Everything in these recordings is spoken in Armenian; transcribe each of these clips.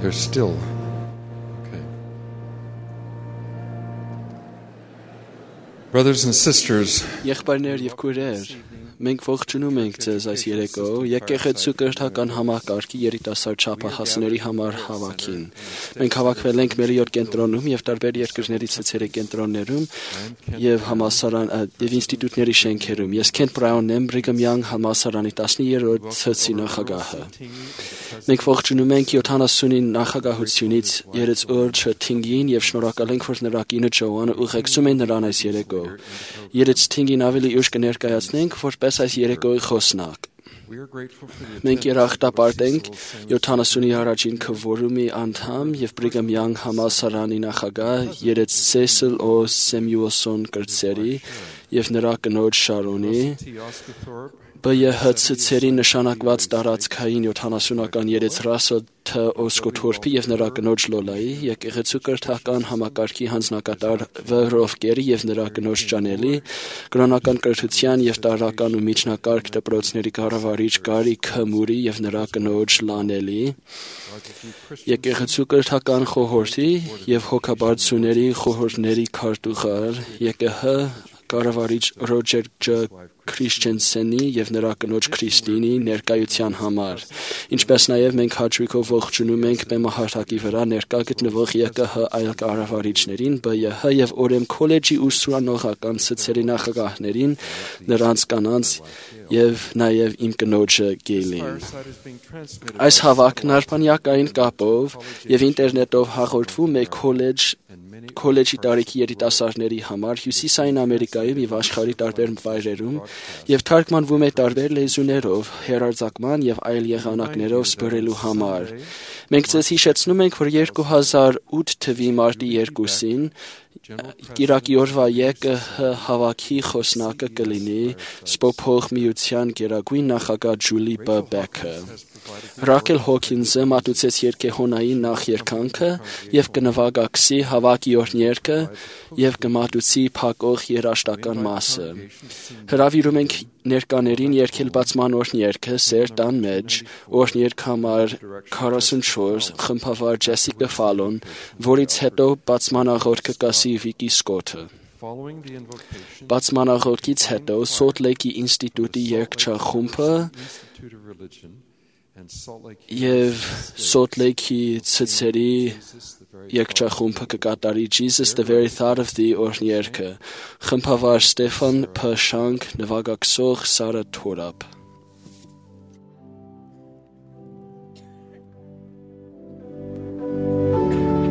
They're still. Okay. Brothers and sisters, Եղբայրներ եւ քույրեր, մենք ողջունում ենք ձեզ այս երեկո եկեղեցու կրթական համակարգի երիտասարդ չափահասների համար հավաքին։ Մենք հավաքվել ենք մեր 7 կենտրոնում եւ տարբեր երկրների ցեցերի կենտրոններում եւ համալսարան եւ ինստիտուտների շենքերում։ Ես Քենթ Բրաունն եմ, Brigham Young համալսարանի 10-րդ ցեցի նախագահը։ Մենք ողջունում ենք 70-ի նախագահությունից Երեց Օրչը Թինգին եւ շնորհակալ ենք, որ նրա կինը Ջոանը ուղեկցում են նրան այս երեկո։ Երեց Թինգին ավելի ուշ կներկայացնենք, որպես այս երեկոյի խոսնակ։ Մենք երախտապարտ ենք 70-ի առաջին քվորումի անդամ եւ Brigham Young համալսարանի նախագահ Երեց Cecil O. Samuelson կրտսերի եւ նրա կնոջ Շարոնի ԲԵՀ-ցերի նշանակված տարածքային 70-ական Երեց Ռասել Თ. Օսկոթորփի եւ նրա կնոջ Լոլայի, եկեղեցու կրթական համակարգի հանձնակատար Վ. Ռովկերի եւ նրա կնոջ Ճանելի, կրոնական կրթության եւ տարրական ու միջնակարգ դպրոցների կառավարիչ Գարի Քմուրի եւ նրա կնոջ Լանելի, եկեղեցու կրթական խորհրդի եւ հոգաբարձուների խորհուրդների քարտուղար ԵԿՀ կառավարիչ Ռոջեր Ջ. Քրիշչենսենի եւ նրա կնոջ Քրիստինի ներկայության համար, ինչպես նաեւ մենք հաճույքով ողջունում ենք բեմահարթակի վրա ներկա գտնվող ԵԿՀ այլ կառավարիչներին, ԲԵՀ եւ Օրեմ քոլեջի ուսուցանողական ցցերի նախագահներին, նրանց կանանց եւ նաեւ իմ կնոջը Գեյլին։ Այս հավաքն արբանյակային կապով եւ ինտերնետով հաղորդվում է քոլեջի տարիքի երիտասարդների համար Հյուսիսային Ամերիկայում եւ աշխարհի տարբեր վայրերում եւ թարգմանվում է տարբեր լեզուներով, հեռարձակման եւ այլ եղանակներով սփռելու համար։ Մենք ձեզ հիշեցնում ենք, որ 2008 թվականի մարտի 2-ին Կիրակի օրվա ԵԿՀ հավաքի խոսնակը կլինի Սփոփող միության գերագույն նախագահ Ջուլի Բ. Բեքը։ Ռաքել Հոքինսը մատուցեց երկեհոնային նախերգանքը եւ կնվագակցի հավաքի օրհներգը եւ կմատուցի փակող երաժշտական մասը։ Հրավիրում ենք ներկաներին երգել բացման օրհներգը Սեր տան մեջ, օրհներգ համար 44 խմբավար Ջեսիկա Ֆալոն, որից հետո բացմանաղորդքը կասի Վիկի Սկոթը։ Բացմանաղորդից հետո Սոլտ Լեյքի ինստիտուտի երգչախումբը եւ Սոլտ Լեյքի ցցերի երգչախումբը կկատարի Jesus the Very Thought of Thee օրհներգը, խմբավար Ստեֆան Փ. Շանք, նվագակցող Սարա Թորապ։ Amen.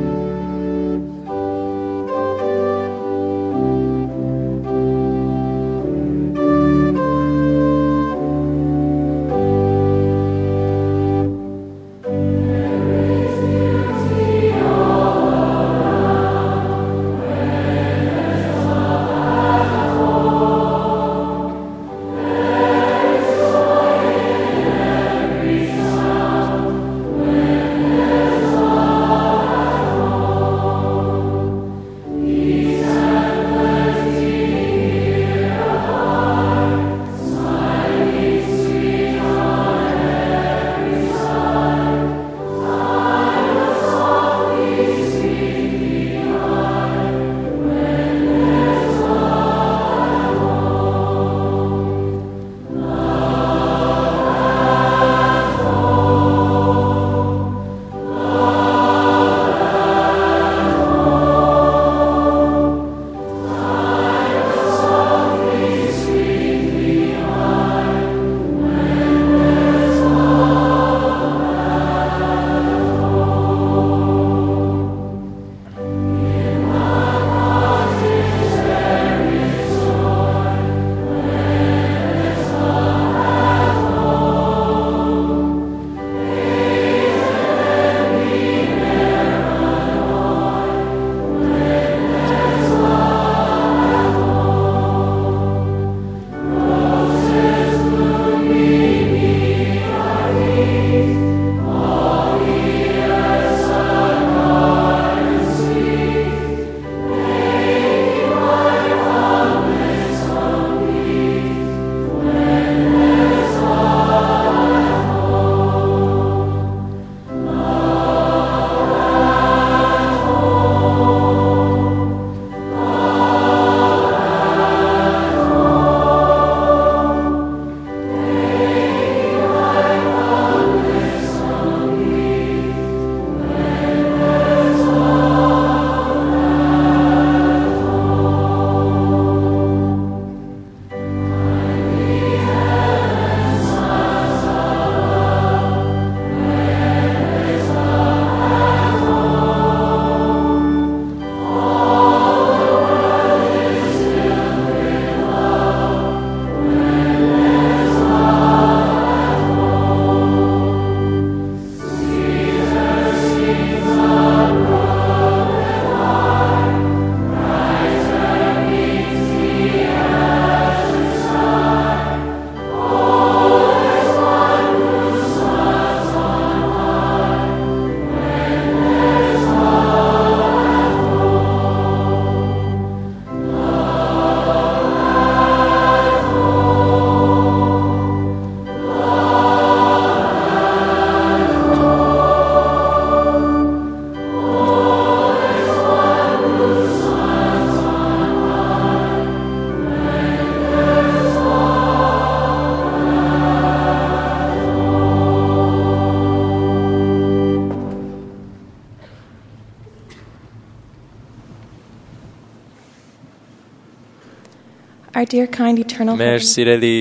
Our dear kind eternal Մեր Heavenly սիրելի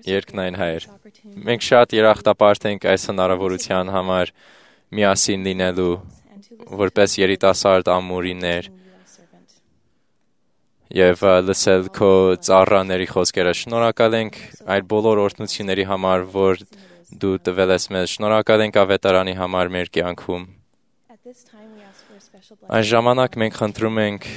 երկնային Հայր, մենք շատ երախտապարտ ենք այս հնարավորության համար միասին լինելու, որպես երիտասարդ ամուրիներ եւ լսել քո ծառաների խոսքերը։ Շնորհակալ ենք այդ բոլոր օրհնությունների համար, որ դու տվել ես մեզ։ Շնորհակալ ենք ավետարանի համար մեր կյանքում։ Այս ժամանակ մենք խնդրում ենք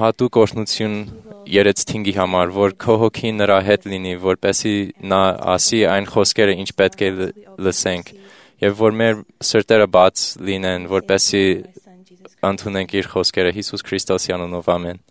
հատուկ օրհնություն Երեց Թինգի համար, որ քո հոգին նրա հետ լինի, որպեսզի նա ասի այն խոսքերը, ինչ պետք է լսենք, եւ որ մեր սրտերը բաց լինեն, որպեսզի ընդունենք իր խոսքերը Հիսուս Քրիստոսի անունով, ամեն։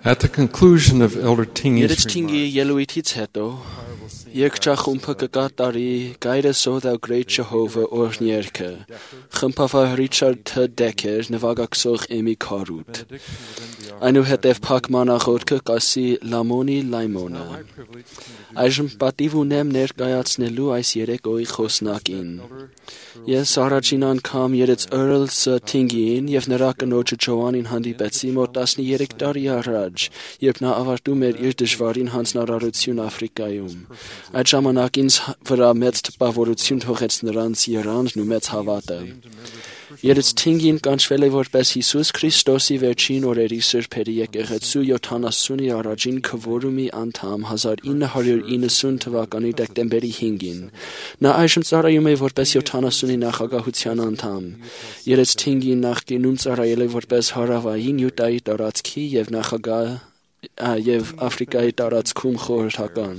At the conclusion of Elder Tingey's Երեց Թինգի ելույթից հետո երկչախումբը կկատարի Guide us, O thou great Jehovah օրհներգը, խմբավար Ռիչարդ Თ. Դեքեր նվագակցող Էմի Քարուտ։ Այնուհետև փակ մանախորքը կասի Լամոնի Լայմոնը։ Այժմ պատիվ ունեմ ներկայացնելու այս երեկոյի խոսնակին։ Ես առաջին անգամ երեց Earl Tingին եւ նրա կնոջը Ջոանին հանդիպեցի մոտ 13 տարի առաջ, երբ նա ավարտում էր իր դժվարին հանձնարարություն Աֆրիկայում։ Այդ ժամանակ ինձ վրա մեծ տպավորություն թողեց նրանց երանն ու մեծ հավատը։ Երեց Tingին կանչվել է որպես Հիսուս Քրիստոսի վերջին օրերի սրբերի եկեղեցու 70-ի առաջին քվորումի անդամ 1990 թվականի դեկտեմբերի 5-ին։ Նա այժմ ծառայում է որպես 70-ի նախագահության անդամ։ Երեց Tingին նախկինում ծառայել է որպես Հարավային Յուտայի տարածքի եւ նախագահ եւ Աֆրիկայի տարածքում խորհրդական։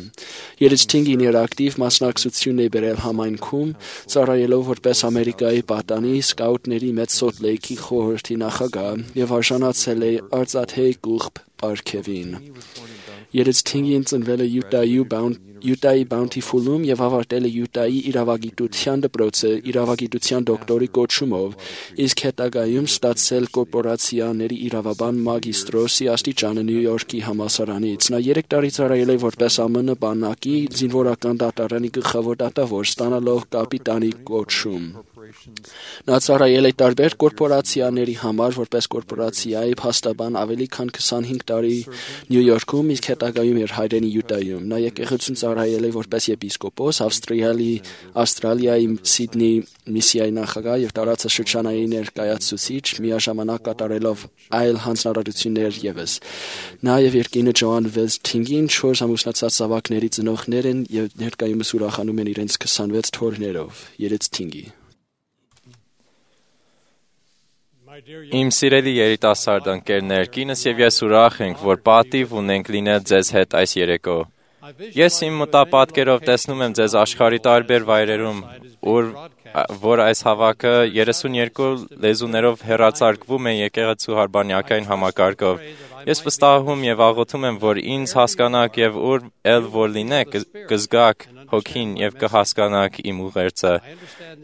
Երեցթինգին իր ակտիվ մասնակցությունն է բերել համայնքում, ծառայելով որպես Ամերիկայի պատանի սկաուտների մեծ Սոլտ Լեյքի խորհրդի նախագահ եւ արժանացել է արծաթե կուղբ պարգևին։ Երեցթինգին ծնվել է Յուտայի Bountiful-ում եւ ավարտել է Յուտայի իրավագիտության դպրոցը իրավագիտության դոկտորի կոչումով, իսկ հետագայում ստացել կորպորացիաների իրավաբան մագիստրոսի աստիճանը Նյու Յորքի համալսարանից։ Նա 3 տարի ծառայել է որպես ԱՄՆ բանակի զինվորական դատարանի գլխավոր դատավոր, ստանալով կապիտանի կոչում։ Նա ծառայել է տարբեր կորպորացիաների համար որպես կորպորացիայի փաստաբան ավելի քան 25 տարի Նյու Յորքում, իսկ հետագայում իր հայրենի Յուտայում։ Նա եկեղեցուն ծառայել է որպես եպիսկոպոս, Ավստրալիայի Սիդնի միսիայի նախագահ եւ տարածաշրջանային ներկայացուցիչ, միաժամանակ կատարելով այլ հանձնարարություններ եւս։ Նա եւ իր կինը Ջոան Վեսթինգին 4 ամուսնացած զավակների ծնողներ են եւ ներկայումս ուրախանում են իրենց 26 թոռներով։ Երեցթինգի Իմ սիրելի երիտասարդ ընկերներ, կինս եւ ես ուրախ ենք, որ պատիվ ունենք լինել ձեզ հետ այս երեկո։ Ես իմ մտապատկերով տեսնում եմ ձեզ աշխարհի տարբեր վայրերում, որ այս հավաքը 32 լեզուներով հեռարձակվում է եկեղեցու հարբանյակային համակարգով։ Ես վստահում եւ աղոթում եմ, որ ինձ հասկանաք եւ ուր ել որ լինեք, կզգաք հոգին եւ կհասկանաք իմ ուղերձը։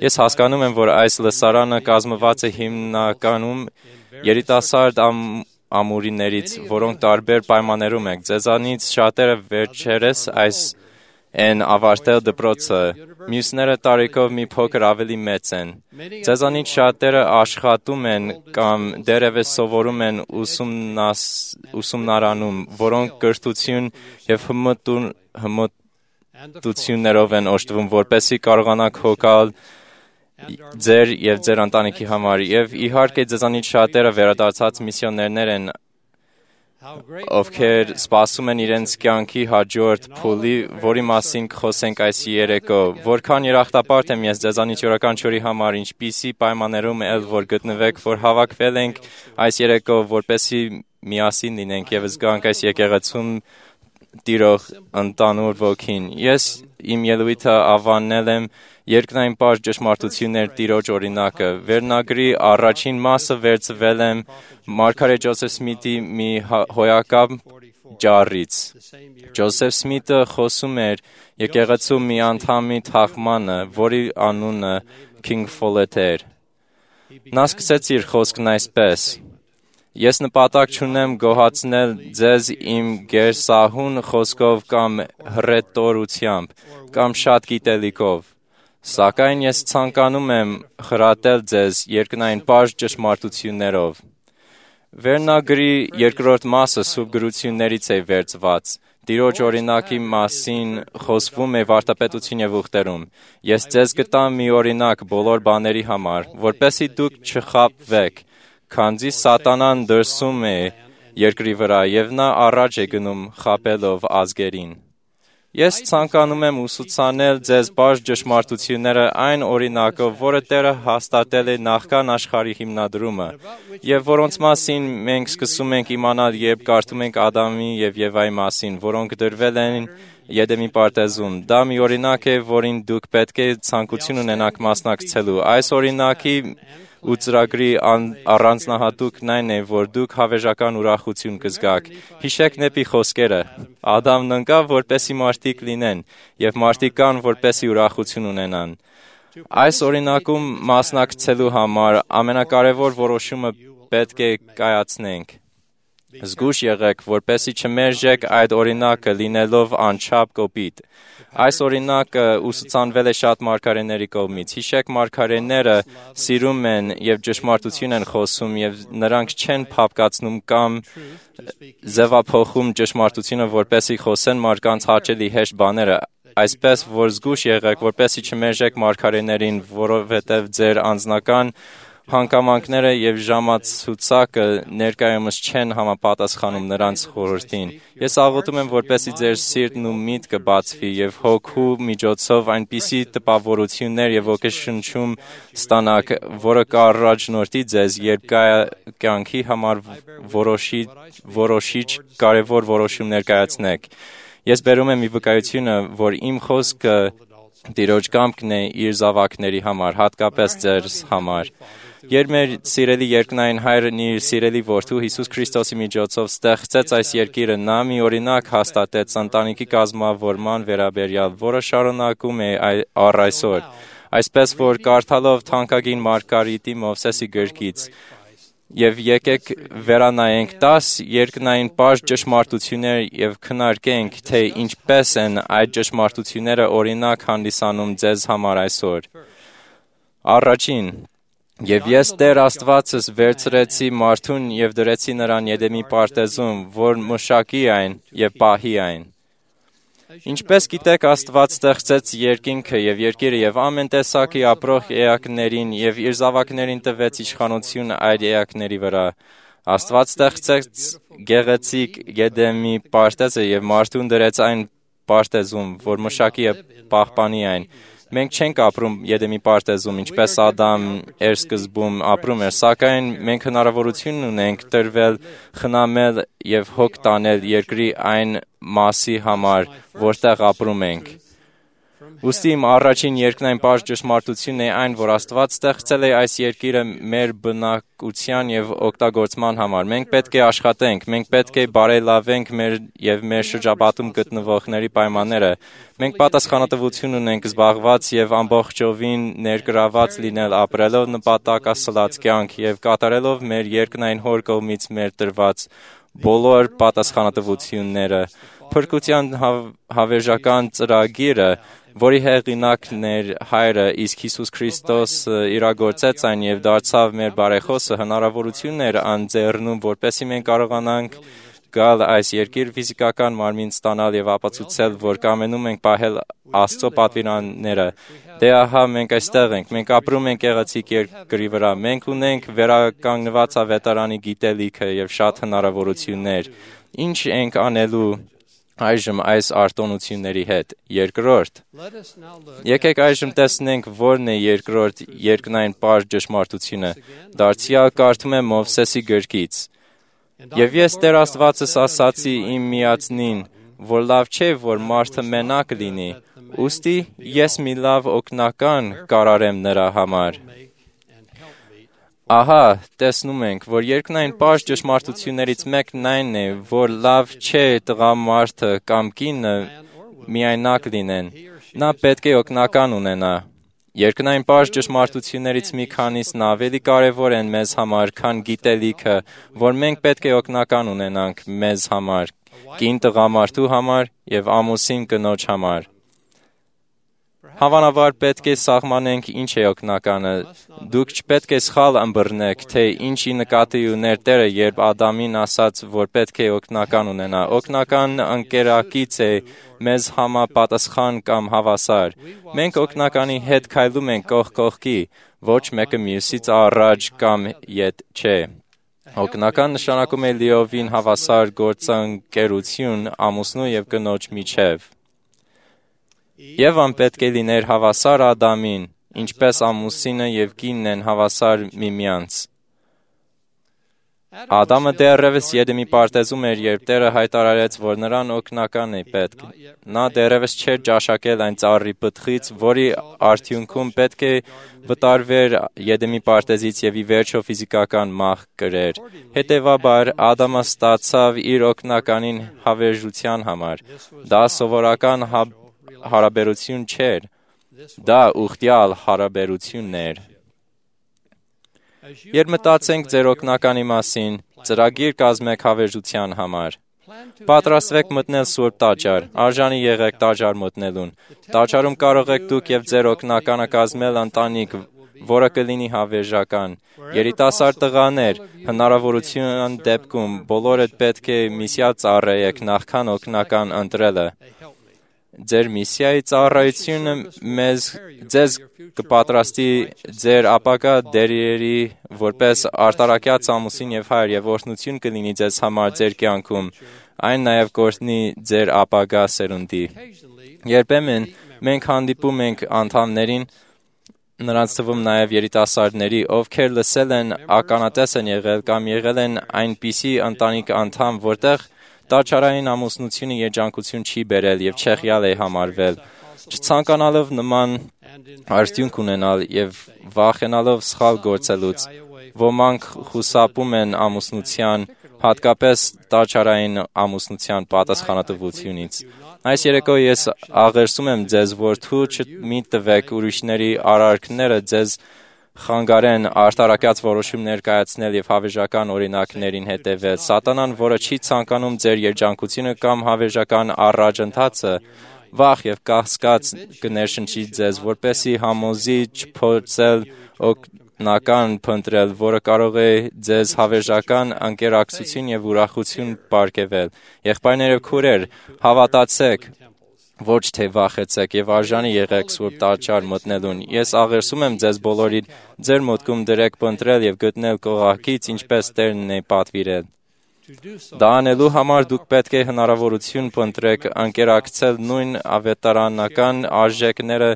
Ես հասկանում եմ, որ այս լսարանը կազմված է հիմնականում երիտասարդ ամուրիներից, որոնք տարբեր պայմաններում եք։ Ձեզանից շատերը վերջերս են ավարտել դպրոցը, մյուսները տարիքով մի փոքր ավելի մեծ են։ Ձեզանից շատերը աշխատում են կամ դեռևս սովորում են ուսումնարանում, որոնք կրթություն եւ հմտություններով են օժտվում, որպեսզի կարողանաք հոգալ ձեր եւ ձեր ընտանիքի համար։ Եվ իհարկե ձեզանից շատերը վերադարձած միսիոներներ են, ովքեր սպասում են իրենց կյանքի հաջորդ փուլի, որի մասին կխոսենք այս երեկո։ Որքան երախտապարտ եմ ես ձեզանից յուրաքանչյուրի համար, ինչպիսի պայմաններում էլ որ գտնվեք, որ հավաքվել ենք այս երեկո, որպեսզի միասին լինենք եւ զգանք այս եկեղեցում տիրող ընդանուր ոգին։ Ես իմ ելույթը ավանել եմ երկնային պարզ ճշմարտություններ տիրոջ օրինակը։ Վերնագրի առաջին մասը վերցվել եմ Մարգարետ Ջոզեֆ Սմիթի մի հոյակապ ջառից։ Ջոզեֆ Սմիթը խոսում էր եկեղեցու մի անդամի թաղմանը, որի անունը Քինգ Ֆոլեթ էր։ Նա սկսեց իր խոսքն այսպես. Ես նպատակ չունեմ գոհացնել ձեզ իմ գերսահուն խոսքով կամ հռետորությամբ կամ շատ գիտելիքով, սակայն ես ցանկանում եմ խրատել ձեզ երկնային պարզ ճշմարտություններով։ Վերնագրի երկրորդ մասը սուրբ գրություններից է վերցված։ Տիրոջ օրինակի մասին խոսվում է վարդապետություն եւ ուխտերում։ Ես ձեզ կտամ մի օրինակ բոլոր բաների համար, որպեսզի դուք չխաբվեք, քանզի սատանան դրսում է երկրի վրա եւ նա առաջ է գնում խաբելով ազգերին։ Ես ցանկանում եմ ուսուցանել ձեզ բարձ ճշմարտությունները այն օրինակով, որը Տերը հաստատել է նախքան աշխարհի հիմնադրումը, եւ որոնց մասին մենք սկսում ենք իմանալ, երբ կարդում ենք Ադամի եւ Եվայի մասին, որոնք դրվել են Եդեմի պարտեզում։ Դա մի օրինակ է, որին դուք պետք է ցանկություն ունենաք մասնակցելու։ Այս օրինակի ու ծրագրի առանձնահատուկն այն է, որ դուք հավերժական ուրախություն կզգաք։ Հիշեք նեպի խոսքերը. Ադամն ընկավ, որպեսի մարդիկ լինեն, եւ մարդիկ կան, որպեսի ուրախություն ունենան։ Այս օրինակում մասնակցելու համար ամենակարևոր որոշումը պետք է կայացնենք։ Զգույշ եղեք, որպեսի չմերժեք այդ օրինակը լինելով անչափ կոպիտ։ Այս օրինակը ուսուցանվել է շատ մարգարեների կողմից։ Հիշեք, մարգարեները սիրում են եւ ճշմարտություն են խոսում եւ նրանք չեն փափկացնում կամ ձևափոխում ճշմարտությունը, որպեսի խոսեն մարդկանց հաճելի հեշտ բաները։ Այսպես որ զգույշ եղեք, որպեսի չմերժեք մարգարեներին, որովհետեւ ձեր անձնական Հանգամանքները եւ ժամացուցակը ներկայումս չեն համապատասխանում նրանց խորհրդին։ Ես աղոթում եմ, որպեսզի ձեր սիրտն ու միտքը բացվի եւ հոգու միջոցով այնպիսի տպավորություններ եւ ոգեշնչում ստանաք, որը կառաջնորդի ձեզ, երբ կյանքի համար որոշիչ կարևոր որոշումներ կայացնեք։ Ես բերում եմ ի վկայությունը, որ իմ խոսքը Տիրոջ կամքն է իր զավակների համար, հատկապես ձեզ համար։ Երբ մեր սիրելի երկնային Հայրն իր սիրելի որդու Հիսուս Քրիստոսի միջոցով ստեղծեց այս երկիրը, նա մի օրինակ հաստատեց ընտանիքի կազմավորման վերաբերյալ, որը շարունակում է առ այսօր։ Այսպես որ կարդալով թանկագին Մարգարիտի Մովսեսի գրքից եւ եկեք վերանայենք 10 երկնային պարզ ճշմարտություններ եւ քննարկենք, թե ինչպես են այդ ճշմարտությունները օրինակ հանդիսանում ձեզ համար այսօր։ Առաջին, եւ ես Տեր Աստվածս վերցրեցի մարդուն եւ դրեցի նրան Եդեմի պարտեզում, որ մշակի այն եւ պահի այն։ Ինչպես գիտեք, Աստված ստեղծեց երկինքը եւ երկիրը եւ ամեն տեսակի ապրող էակներին եւ իր զավակներին տվեց իշխանություն այդ էակների վրա։ Աստված ստեղծեց գեղեցիկ Եդեմի պարտեզը եւ մարդուն դրեց այն պարտեզում, որ մշակի պահպանի այն։ Մենք չենք ապրում Եդեմի պարտեզում, ինչպես Ադամն էր սկզբում ապրում էր, սակայն մենք հնարավորություն ունենք տրվել, խնամել եւ հոգ տանել երկրի այն մասի համար, որտեղ ապրում ենք։ Ուստի իմ առաջին երկնային պարզ ճշմարտությունն է այն, որ Աստված ստեղծել է այս երկիրը մեր բնակության եւ օգտագործման համար։ Մենք պետք է աշխատենք, մենք պետք է բարելավենք մեր շրջապատում գտնվողների պայմանները։ Մենք պատասխանատվություն ունենք զբաղված եւ ամբողջովին ներգրաված լինել ապրելով նպատակասլաց կյանք եւ կատարելով մեր երկնային Հոր կողմից մեր տրված բոլոր պատասխանատվությունները։ Փրկության հավերժական ծրագիրը, որի հեղինակն էր Հայրը, իսկ Հիսուս Քրիստոսը իրագործեց այն եւ դարձավ մեր բարեխոսը, հնարավորություն էր անձեռնում, որպեսզի մենք կարողանանք գալ այս երկիր ֆիզիկական մարմին ստանալ եւ ապացուցել, որ կամենում ենք պահել Աստծո պատվիրանները։ Դե ահա մենք այստեղ ենք, մենք ապրում ենք գեղեցիկ երկրի վրա, մենք ունենք վերականգնված ավետարանի գիտելիքը եւ շատ հնարավորություններ։ Ինչ ենք անելու այժմ այս արտոնությունների հետ։ Երկրորդ, եկեք այժմ տեսնենք որն է երկրորդ երկնային պարզ ճշմարտությունը։ Դարձյալ կարդում եմ Մովսեսի գրքից. Եվ ես Տեր Աստվածս ասացի իմ միածնին, որ լավ չէ, որ մարդը մենակ լինի, ուստի ես մի լավ օգնական կարարեմ նրա համար։ Ահա, տեսնում ենք, որ երկնային պարզ ճշմարտություններից մեկն այն է, որ լավ չէ տղամարդը կամ կինը միայնակ լինեն, նա պետք է օգնական ունենա։ Երկնային պարզ ճշմարտություններից մի քանիսն ավելի կարևոր են մեզ համար, քան գիտելիքը, որ մենք պետք է օգնական ունենանք մեզ համար, կին տղամարդու համար եւ ամուսին կնոջ համար։ Հավանաբար պետք է սահմանենք ինչ է օգնականը։ Դուք չպետք է սխալ ըմբռնեք, թե ինչի նկատի ուներ Տերը, երբ Ադամին ասաց, որ պետք է օգնական ունենա։ Օգնական ընկերակից է մեզ համապատասխան կամ հավասար։ Մենք օգնականի հետ քայլում ենք կողք կողքի, ոչ մեկը մյուսից առաջ կամ ետ չէ։ Օգնական նշանակում է լիովին հավասար գործընկերություն ամուսնու եւ կնոջ միջև։ Եվան պետք է լիներ հավասար Ադամին, ինչպես ամուսինը եւ կինն են հավասար միմյանց։ Ադամը դեռևս Եդեմի պարտեզում էր, երբ Տերը հայտարարեց, որ նրան օգնական է պետք։ Նա դեռևս չէր ճաշակել այն ծառի պտղից, որի արդյունքում պետք է վտարվեր Եդեմի պարտեզից եւ ի վերջո ֆիզիկական մահ կրեր։ Հետևաբար Ադամը ստացավ իր օգնականին հավերժության համար։ Դա սովորական հարաբերություն չէր, դա ուխտյալ հարաբերությունն էր։ Երբ մտածենք ձեր օգնականի մասին, ծրագիր կազմեք հավերժության համար։ Պատրաստվեք մտնել Սուրբ տաճար, արժանի եղեք տաճար մտնելուն։ Տաճարում կարող եք դուք եւ ձեր օգնականը կազմել ընտանիք, որը կլինի հավերժական։ Երիտասարդ տղաներ, հնարավորության դեպքում բոլորդ պետք է միսյա ծառայեք նախքան օգնական ընտրելը։ ձեր միսիայի ծառայությունը ձեզ կպատրաստի ձեր ապագա դերերի որպես արտարակյաց ամուսին եւ հայր եւ օրհնություն կլինի ձեզ համար ձեր կյանքում, այն նաեւ կօրհնի ձեր ապագա սերունդի։ Երբեմն մենք հանդիպում ենք անդամներին, նրանց թվում նաև երիտասարդների, ովքեր լսել են ականատես են եղել կամ եղել են այնպիսի ընտանիք անդամ, որտեղ տաճարային ամուսնությունը երջանկություն չի բերել եւ չեղյալ է համարվել, չցանկանալով նման արդյունք ունենալ եւ վախենալով սխալ գործելուց, ոմանք խուսափում են ամուսնության, հատկապես տաճարային ամուսնության պատասխանատվությունից։ Այս երեկո ես աղերսում եմ ձեզ, որ թույլ մի տվեք ուրիշների արարքները ձեզ խանգարեն արտարակյաց որոշումներ կայացնել եւ հավերժական օրինակներին հետևել։ Սատանան, որը չի ցանկանում ձեր երջանկությունը կամ հավերժական առաջընթացը, վախ եւ կասկած կներշնչի ձեզ, որպեսի համոզի չփորձել օգնական փնտրել, որը կարող է ձեզ հավերժական անկերակցություն եւ ուրախություն պարգևել։ Եղբայրներ եւ քույրեր, հավատացեք, ոչ թե վախեցեք եւ արժանի եղեք Սուրբ տաճար մտնելուն։ Ես աղերսում եմ ձեզ բոլորին, ձեր մտքում դրեք փնտրել եւ գտնել կողակից, ինչպես Տերն է պատվիրել։ Դա անելու համար դուք պետք է հնարավորություն փնտրեք անկերակցել նույն ավետարանական արժեքները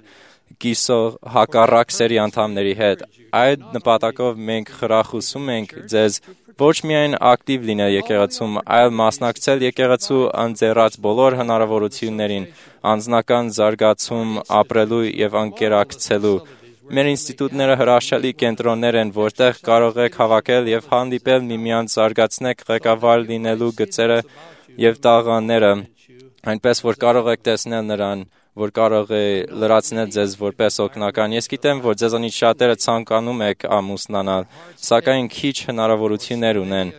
կիսող հակառակ սերի անդամների հետ։ Այդ նպատակով մենք խրախուսում ենք ձեզ ոչ միայն ակտիվ լինել եկեղեցում, այլ մասնակցել եկեղեցու ընձեռած բոլոր հնարավորություններին, անձնական զարգացում ապրելու եւ անկերակցելու։ Մեր ինստիտուտները հրաշալի կենտրոններ են, որտեղ կարող եք հավաքել եւ հանդիպել միմյանց, զարգացնեք ղեկավար լինելու գծերը եւ տաղանները, այնպես որ կարող եք տեսնել նրան, որ կարող է լրացնել ձեզ որպես օգնական։ Ես գիտեմ, որ ձեզանից շատերը ցանկանում եք ամուսնանալ, սակայն քիչ հնարավորություններ ունեն։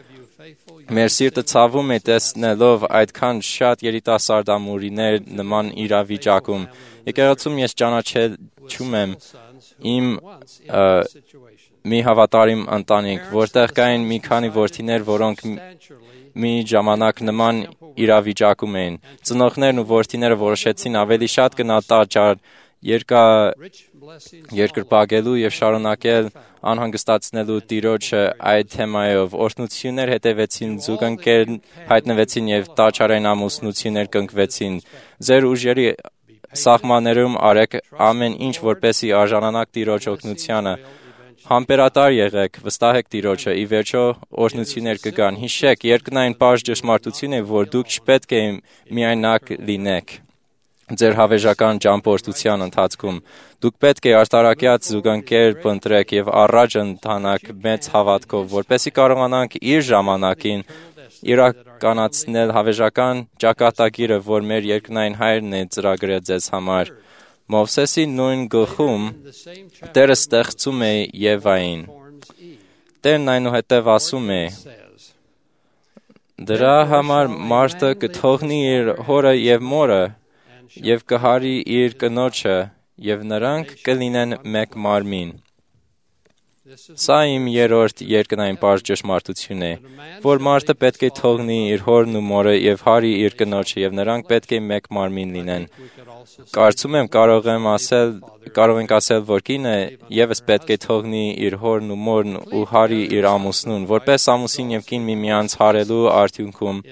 Մեր սիրտը ցավում է տեսնելով այդքան շատ երիտասարդ ամուրիներ նման իրավիճակում։ Եկեղեցում ես ճանաչում եմ իմ մի հավատարիմ ընտանիք, որտեղ կային մի քանի որդիներ, որոնք մի ժամանակ նման իրավիճակում էին։ Ծնողներն ու որդիները որոշեցին ավելի շատ գնալ տաճար, երկրպագելու եւ շարունակել անհանգստացնելու Տիրոջը այդ թեմայով։ Օրհնություններ հետևեցին, զուգընկեր հայտնվեցին եւ տաճարային ամուսնություններ կնքվեցին։ Ձեր ուժերի սահմաններում արեք ամեն ինչ, որպեսզի արժանանաք Տիրոջ օգնությանը։ Համբերատար եղեք, վստահեք Տիրոջը, ի վերջո օրհնություններ կգան։ Հիշեք, երկնային պարզ ճշմարտություն է, որ դուք չպետք է միայնակ լինեք ձեր հավերժական ճամփորդության ընթացքում։ Դուք պետք է արտարակյաց զուգընկեր փնտրեք եւ առաջ ընթանաք մեծ հավատքով, որպեսզի կարողանանք իր ժամանակին իրականացնել հավերժական ճակատագիրը, որ մեր երկնային Հայրն է ծրագրել ձեզ համար։ Մովսեսի նույն գլխում Տերը ստեղծում է Եվային։ Տերն այնուհետև ասում է. «Դրա համար մարդը կթողնի իր հորը եւ մորը եւ կհարի իր կնոջը, եւ նրանք կլինեն մեկ մարմին»։ Սա իմ երրորդ երկնային պարզ ճշմարտությունն է, որ մարդը պետք է թողնի իր հորն ու մորը եւ հարի իր կնոջը, եւ նրանք պետք է մեկ մարմին լինեն։ Կարծում եմ կարող ենք ասել, որ կինը եւս պետք է թողնի իր հորն ու մորն ու հարի իր ամուսնուն, որպես ամուսին եւ կին միմյանց հարելու արդյունքում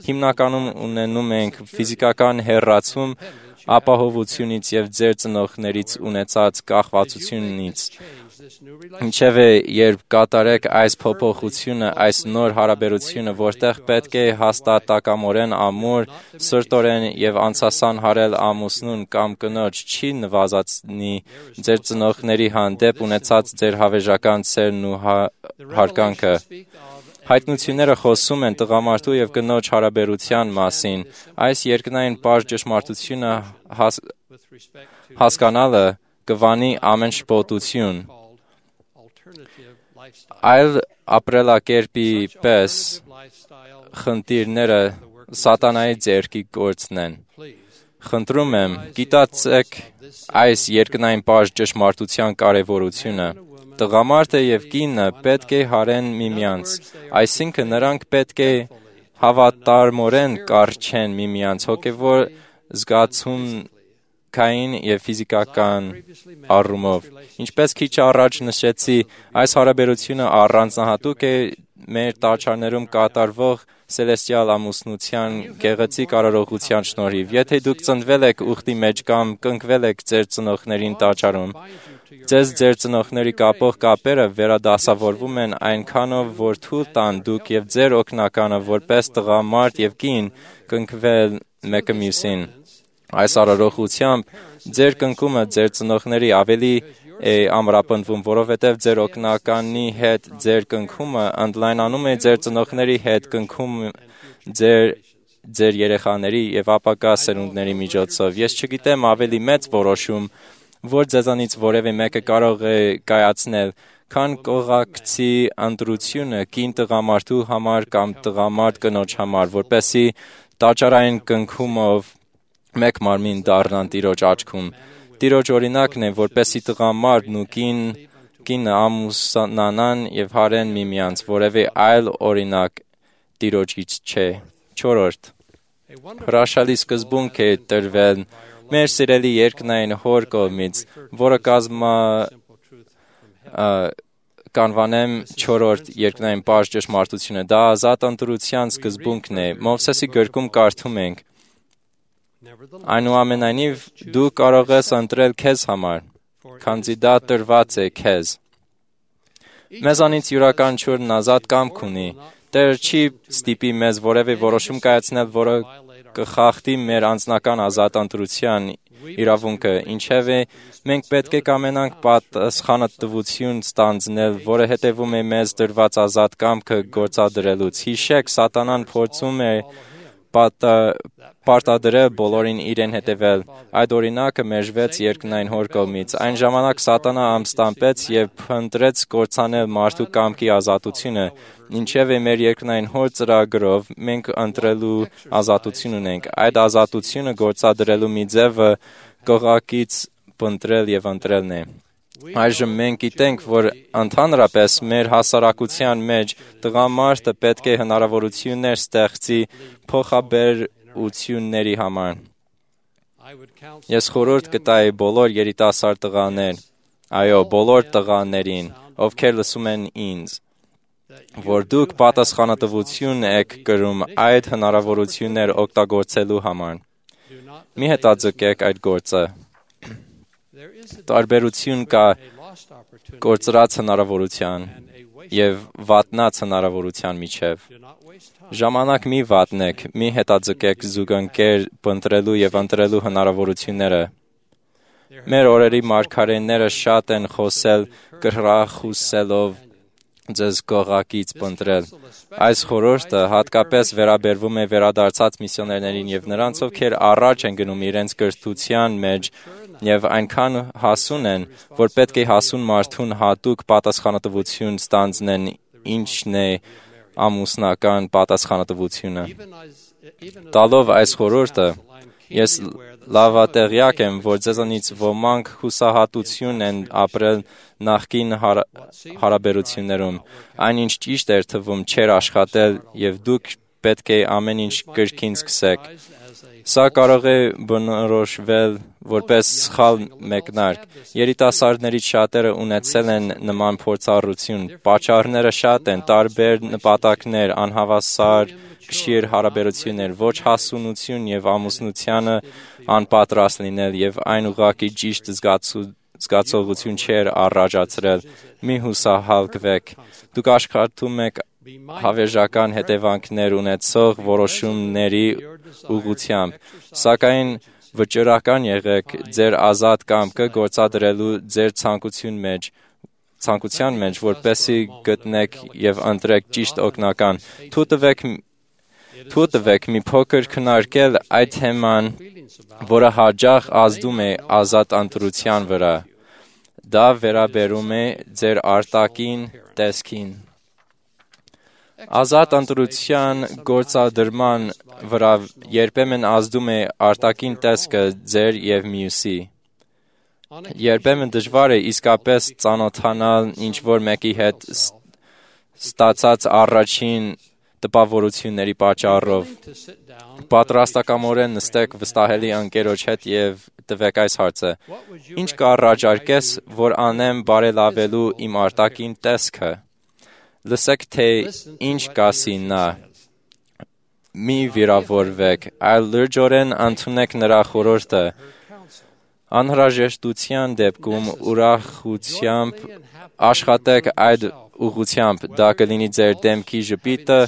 հիմնականում ունենում ենք ֆիզիկական հեռացում ապահովությունից եւ ձեր ծնողներից ունեցած կախվածությունից։ Ինչևէ, երբ կատարեք այս փոփոխությունը, այս նոր հարաբերությունը, որտեղ պետք է հաստատակամորեն ամուր, սրտորեն եւ անցասան հարել ամուսնուն կամ կնոջ, չի նվազեցնի ձեր ծնողների հանդեպ ունեցած ձեր հավերժական սերն ու հարգանքը։ Հայտնությունները խոսում են տղամարդու եւ կնոջ հարաբերության մասին։ Այս երկնային պարզ ճշմարտությունը հասկանալը կվանի ամեն շփոթություն։ Այլ ապրելակերպի պես խնդիրները սատանայի ձեռքի գործն են։ Խնդրում եմ, գիտացեք այս երկնային պարզ ճշմարտության կարևորությունը։ Տղամարդը եւ կինը պետք է հարեն միմյանց, այսինքն նրանք պետք է հավատարմորեն կառչեն միմյանց, հոգևոր զգացմունքային եւ ֆիզիկական առումով։ Ինչպես քիչ առաջ նշեցի, այս հարաբերությունը առանձնահատուկ է մեր տաճարներում կատարվող Սելեստիալ ամուսնության գեղեցիկ արարողության շնորհիվ։ Եթե դուք ծնվել եք ուխտի մեջ կամ կնքվել եք ձեր ծնողներին տաճարում, ձեզ ձեր ծնողների կապող կապերը վերադասավորվում են այնքանով, որ թույլ տան դուք եւ ձեր օգնականը որպես տղամարդ եւ կին կնքվել մեկը մյուսին։ Այս արարողությամբ ձեր կնքումը ձեր ծնողների ավելի է ամրապնդվում, որովհետև ձեր օգնականի հետ ձեր կնքումը ընդլայնանում է ձեր ծնողների հետ կնքումը ձեր երեխաների եւ ապագա սերունդների միջոցով։ Ես չգիտեմ ավելի մեծ որոշում, որ ձեզանից որևէ մեկը կարող է կայացնել, քան կողակցի ընտրությունը կին տղամարդու համար կամ տղամարդ կնոջ համար, որպեսզի տաճարային կնքումով մեկ մարմին դառնան Տիրոջ աչքում։ Տիրոջ օրինակն է, որպեսզի տղամարդն ու կինը ամուսնանան եւ հարեն միմյանց, որևէ այլ օրինակ Տիրոջից չէ։ 4. Հրաշալի սկզբունք է տրվել մեր սիրելի երկնային Հոր կողմից, որը կանվանեմ 4-րդ երկնային պարզ ճշմարտությունը։ Դա ազատ ընտրության սկզբունքն է։ Մովսեսի գրքում կարդում ենք. Այնուամենայնիվ դու կարող ես ընտրել քեզ համար, քանզի դա տրված է քեզ։ Մեզանից յուրաքանչյուրն ազատ կամք ունի։ Տերը չի ստիպի մեզ որևէ որոշում կայացնել, որը կխախտի մեր անձնական ազատ ընտրության իրավունքը, ինչևէ մենք պետք է կամենանք պատասխանատվություն ստանձնել, որը հետևում է մեզ դրված ազատ կամքը գործադրելուց։ Հիշեք, սատանան փորձում է պարտադրել բոլորին իրեն հետևել։ Այդ օրինակը մերժվեց երկնային Հոր կողմից։ Այն ժամանակ սատանա ամստամբեց եւ փնտրեց կործանել մարդու կամքի ազատությունը, ինչևէ մեր երկնային Հոր ծրագրով մենք ընտրելու ազատություն ունենք։ Այդ ազատությունը գործադրելու մի ձևը կողակից փնտրել եւ ընտրելն է։ Այժմ մենք գիտենք, որ ընդհանրապես մեր հասարակության մեջ տղամարդը պետք է հնարավորություններ ստեղծի փոխաբերությունների համար։ Ես խորհուրդ կտայի բոլոր երիտասարդ տղաներ, այո, բոլոր տղաներին, ովքեր լսում են ինձ, որ դուք պատասխանատվություն եք կրում այդ հնարավորություններ օգտագործելու համար։ Մի հետաձգեք այդ գործը։ Տարբերություն կա կորցրած հնարավորության եւ վատնած հնարավորության միջև։ Ժամանակ մի վատնեք, մի հետաձգեք զուգընկեր փնտրելու եւ ընտրելու հնարավորությունները։ Մեր օրերի մարգարեները շատ են խոսել կրախուսելով ձեզ կողակից փնտրել։ Այս խորհուրդը հատկապես վերաբերվում է վերադարձած միսիոներներին եւ նրանց, ովքեր առաջ են գնում իրենց կրթության մեջ եւ այնքան հասուն են, որ պետք է հասուն մարդուն հատուկ պատասխանատվություն ստանձնեն, ինչն է ամուսնական պատասխանատվությունը։ Տալով այս խորհուրդը, ես լավատեղյակ եմ, որ ձեզանից ոմանք հուսահատություն են ապրել նախկին հարաբերություններում։ Այնինչ ճիշտ էր թվում չէր աշխատել եւ դուք պետք է ամեն ինչ կրկին սկսեք։ Սա կարող է բնորոշվել որպես սխալ մեկնարկ։ Երիտասարդներից շատերը ունեցել են նման փորձառություն։ Պատճառները շատ են, տարբեր նպատակներ, անհավասար կշիռ հարաբերություններ, ոչ հասունություն եւ ամուսնությանը անպատրաստ լինել եւ այն ուղղակի ճիշտ զգացողություն չէր առաջացրել։ Մի հուսահալկվեք։ Դուք աշխատում եք հավերժական հետևանքներ ունեցող որոշումների ուղղությամբ, սակայն վճռական եղեք ձեր ազատ կամքը գործադրելու ձեր ցանկության մեջ, որպեսզի գտնեք եւ ընտրեք ճիշտ օգնական։ Թույլ տվեք մի փոքր քննարկել այդ թեման, որը հաճախ ազդում է ազատ ընտրության վրա։ Դա վերաբերում է ձեր արտաքին տեսքին։ Ազատ ընտրության գործադրման վրա երբեմն ազդում է արտաքին տեսքը ձեր եւ մյուսի։ Երբեմն դժվար է իսկապես ծանոթանալ ինչ-որ մեկի հետ ստացած առաջին տպավորությունների պատճառով։ Պատրաստակամորեն նստեք վստահելի ընկերոջ հետ եւ տվեք այս հարցը. Ինչ կառաջարկես, որ անեմ բարելավելու իմ արտաքին տեսքը։ Լսեք, թե ինչ կասի նա։ Մի վիրավորվեք, այլ լրջորեն ընդունեք նրա խորհուրդը։ Անհրաժեշտության դեպքում ուրախությամբ աշխատեք այդ ուղղությամբ, դա կլինի ձեր դեմքի ժպիտը,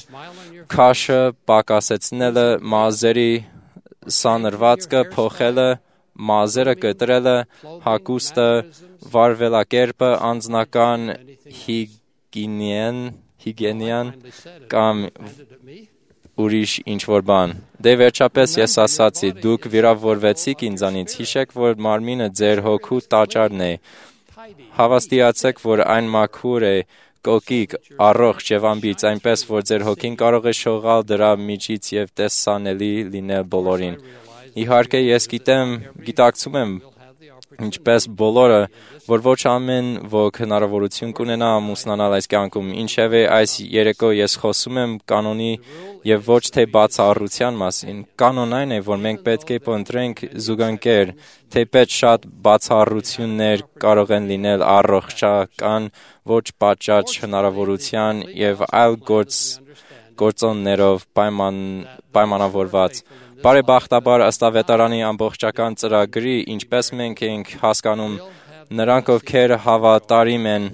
քաշը պակասեցնելը, մազերի սանրվածքը փոխելը, մազերը կտրելը, հագուստը, վարվելակերպը, անձնական հիգիենան կամ ուրիշ ինչ-որ բան։ Դե վերջապես ես ասացի, դուք վիրավորվեցիք ինձանից, հիշեք, որ մարմինը ձեր հոգու տաճարն է։ Հավաստիացեք, որ այն մաքուր է, կոկիկ, առողջ եւ անբիծ, այնպես, որ ձեր հոգին կարող է շողալ դրա միջից եւ տեսանելի լինել բոլորին։ Իհարկե, ես գիտակցում եմ, ինչպես բոլորը, որ ոչ ամեն ոք հնարավորություն կունենա ամուսնանալ այս կյանքում, ինչևէ այս երեկո ես խոսում եմ կանոնի եւ ոչ թե բացառության մասին։ Կանոն այն է, որ մենք պետք է փնտրենք զուգընկեր, թեպետ շատ բացառություններ կարող են լինել առողջական, ոչ պատշաճ հնարավորության եւ այլ գործոններով պայմանավորված։ Բարեբախտաբար ըստ ավետարանի ամբողջական ծրագրի, ինչպես մենք ենք հասկանում, նրանք, ովքեր հավատարիմ են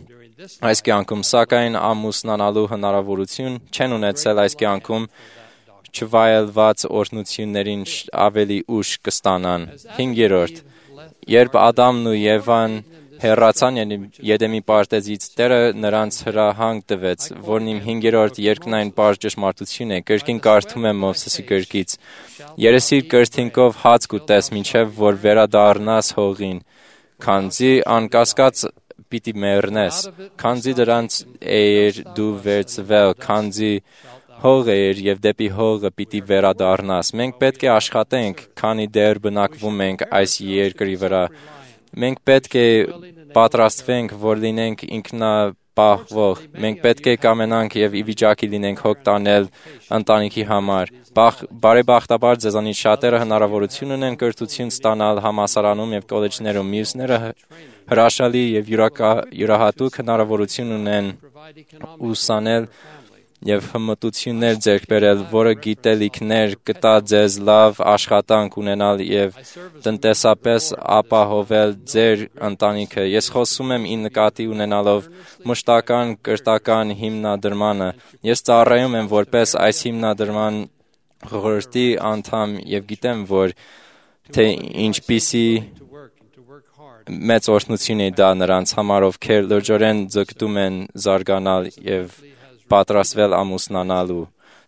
այս կյանքում, սակայն ամուսնանալու հնարավորություն չեն ունեցել այս կյանքում, չվայելված օրհնություններին ավելի ուշ կստանան։ 5. Երբ Ադամն ու Եվան հեռացան Եդեմի պարտեզից, Տերը նրանց հրահանգ տվեց, որն իմ 5-րդ երկնային պարզ ճշմարտություն է, կրկին կարդում եմ Մովսեսի գրքից. Երեսիր կրթինքով հաց կուտես, մինչև որ վերադառնաս հողին, քանզի անկասկած պիտի մեռնես, քանզի դրանց էիր դու վերցվել, քանզի հող էր եւ դեպի հողը պիտի վերադառնաս։ Մենք պետք է աշխատենք, քանի դեռ բնակվում ենք այս երկրի վրա։ Մենք պետք է պատրաստվենք, որ լինենք ինքնապահվող։ Մենք պետք է կամենանք եւ ի վիճակի լինենք հոգ տանել ընտանիքի համար։ Բարեբախտաբար ձեզանից շատերը հնարավորություն ունեն կրթություն ստանալ համալսարանում եւ կոլեջներում, մյուսները հրաշալի եւ յուրահատուկ հնարավորություն ունեն ուսանել եւ հմտություններ ձեռք բերել, որը գիտելիքներ կտա ձեզ լավ աշխատանք ունենալ եւ տնտեսապես ապահովել ձեր ընտանիքը։ Ես խոսում եմ ի նկատի ունենալով մշտական կրթական հիմնադրմանը։ Ես ծառայում եմ որպես այս հիմնադրման խորհրդի անդամ եւ գիտեմ, որ թե ինչպիսի մեծ օրհնություն է դա նրանց համար, ովքեր լրջորեն ձգտում են զարգանալ եւ պատրաստվել ամուսնանալու։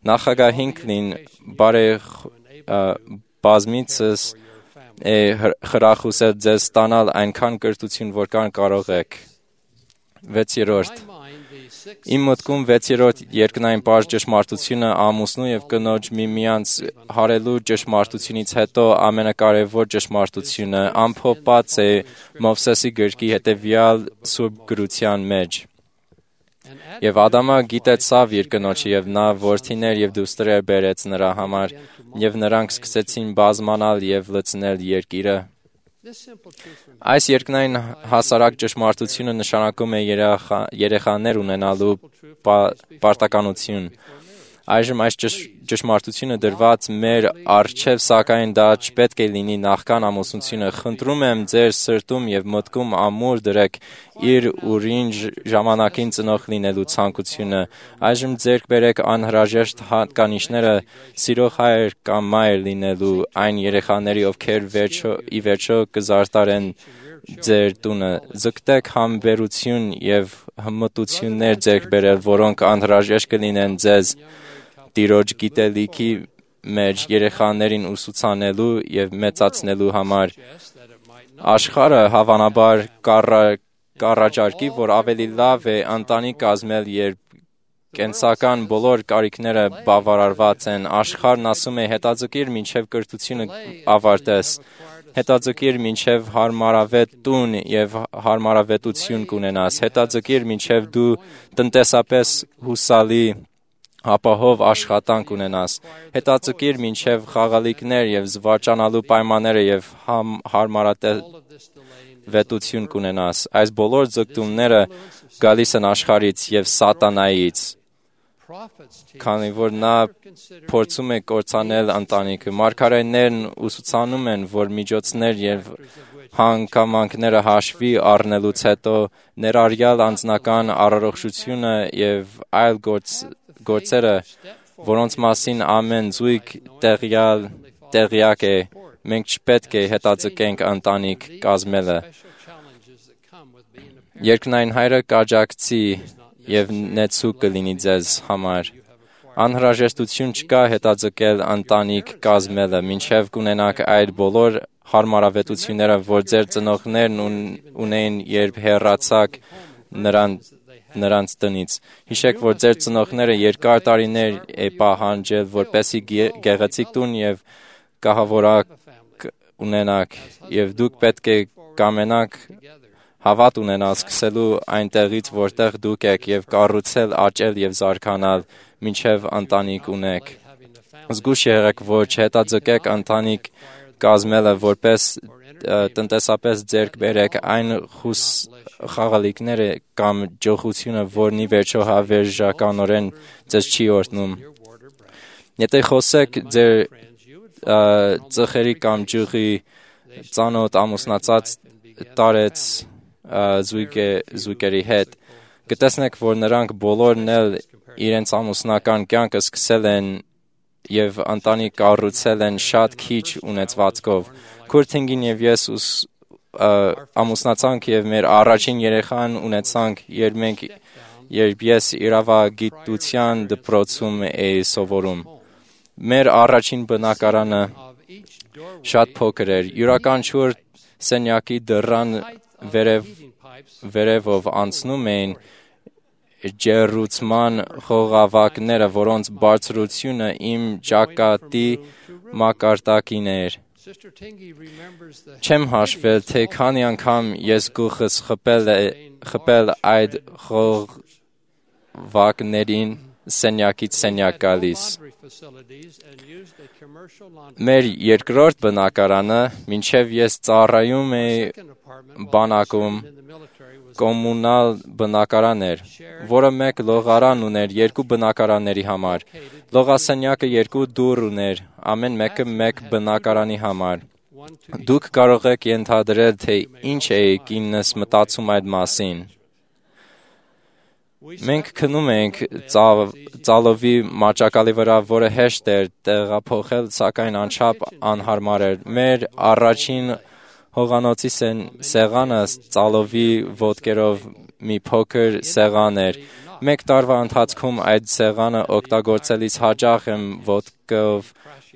Նախագահ Հինքլին բազմիցս է խրախուսել ձեզ ստանալ այնքան կրթություն, որքան կարող եք։ 6. Իմ մտքում 6-րդ երկնային պարզ ճշմարտությունը ամուսնու եւ կնոջ միմյանց հարելու ճշմարտությունից հետո ամենակարևոր ճշմարտությունը ամփոփված է Մովսեսի գրքի հետեւյալ սուրբ գրության մեջ։ Եվ Ադամը գիտեցավ իր կնոջը, եւ նա որդիներ եւ դուստրեր բերեց նրա համար, եւ նրանք սկսեցին բազմանալ եւ լցնել երկիրը։ Այս երկնային հասարակ ճշմարտությունը նշանակում է երեխաներ ունենալու պարտականություն։ Այժմ այս ճշմարտությունը դրված մեր առջև, սակայն դա չպետք է լինի նախքան ամուսնությունը։ Խնդրում եմ ձեր սրտում եւ մտքում ամուր դրեք իր ուրին ժամանակին ծնող լինելու ցանկությունը։ Այժմ ձեռք բերեք անհրաժեշտ հատկանիշները սիրող հայր կամ մայր լինելու այն երեխաների, ովքեր ի վերջո կզարտարեն ձեր տունը։ Ձգտեք համբերություն եւ հմտություններ ձեռք բերել, որոնք անհրաժեշտ կլինեն ձեզ Տիրոջ գիտելիքի մեջ երեխաներին ուսուցանելու եւ մեծացնելու համար։ Աշխարհը հավանաբար կառաջարկի, որ ավելի լավ է ընտանիք կազմել, երբ կենսական բոլոր կարիքները բավարարված են։ Աշխարհն ասում է հետաձգիր մինչև կրթությունը ավարտես, հետաձգիր մինչև հարմարավետ տուն եւ հարմարավետություն կունենաս, հետաձգիր մինչև դու տնտեսապես հուսալի ապահով աշխատանք ունենաս։ Հետաձգիր մինչև խաղալիքներ եւ զվարճանալու պայմանները եւ հարմարավետություն կունենաս։ Այս բոլոր ձգտումները գալիս են աշխարհից եւ սատանայից, քանի որ նա փորձում է կործանել ընտանիքը։ Մարգարեներն ուսուցանում են, որ միջոցներ եւ հանգամանքները հաշվի առնելուց հետո ներառյալ անձնական առողջությունը եւ այլ գործերը, որոնց մասին ամեն զույգ տեղյակ է, մենք չպետք է հետաձգենք ընտանիք կազմելը։ Երկնային Հայրը կաջակցի եւ նեցուկ կլինի ձեզ համար։ Անհրաժեշտություն չկա հետաձգել ընտանիք կազմելը, մինչև կունենաք այդ բոլոր հարմարավետությունները, որ ձեր ծնողներն ունեին, երբ հեռացաք նրանց տնից։ Հիշեք, որ ձեր ծնողները երկար տարիներ է պահանջել, որպեսզի գեղեցիկ տուն եւ կահավորակ ունենաք, եւ դուք պետք է կամենաք հավատ ունենալ սկսելու այնտեղից, որտեղ դուք եք, եւ կառուցել, աճել եւ զարգանալ, մինչև ընտանիք ունեք։ Զգուշ եղեք, որ չհետաձգեք ընտանիք կազմելը, որպես տնտեսապես ձեռք բերեք այն խաղալիքները կամ ջոխությունը, որն ի վերջո հավերժականորեն ձեզ չի օրհնում։ Եթե խոսեք ձեր ծխերի կամ ջուղի ծանոթ ամուսնացած տարեց զույգերի հետ, կտեսնեք, որ նրանք բոլորն էլ իրենց ամուսնական կյանքը սկսել են եւ ընտանիք կառուցել են շատ քիչ ունեցվածքով։ Քուրթինգին եւ ես ամուսնացանք եւ մեր առաջին երեխան ունեցանք, երբ ես իրավագիտության դպրոցում էի սովորում։ Մեր առաջին բնակարանը շատ փոքր էր։ Յուրաքանչյուր սենյակի դռան վերևով անցնում էին ջեռուցման խողովակները, որոնց բարձրությունը իմ ճակատի մակարդակին էր։ Չեմ հաշվել, թե քանի անգամ ես գլուխս խփել այդ խողովակներին սենյակից սենյակ գալիս։ Մեր երկրորդ բնակարանը, մինչև ես ծառայում էի բանակում, կոմունալ բնակարան էր, որը մեկ լողարան ուներ երկու բնակարանների համար։ Լողասենյակը երկու դուռ ուներ, ամեն մեկը մեկ բնակարանի համար։ Դուք կարող եք ենթադրել, թե ինչ էի կինս մտածում այդ մասին։ Մենք քնում էինք ծալովի մաճակալի վրա, որը հեշտ էր տեղափոխել, սակայն անչափ անհարմար էր։ Մեր առաջին հողանոցի սեղանը ծալովի ոտքերով մի փոքր սեղան էր։ Մեկ տարվա ընթացքում այդ սեղանը օգտագործելիս հաճախ եմ ոտքով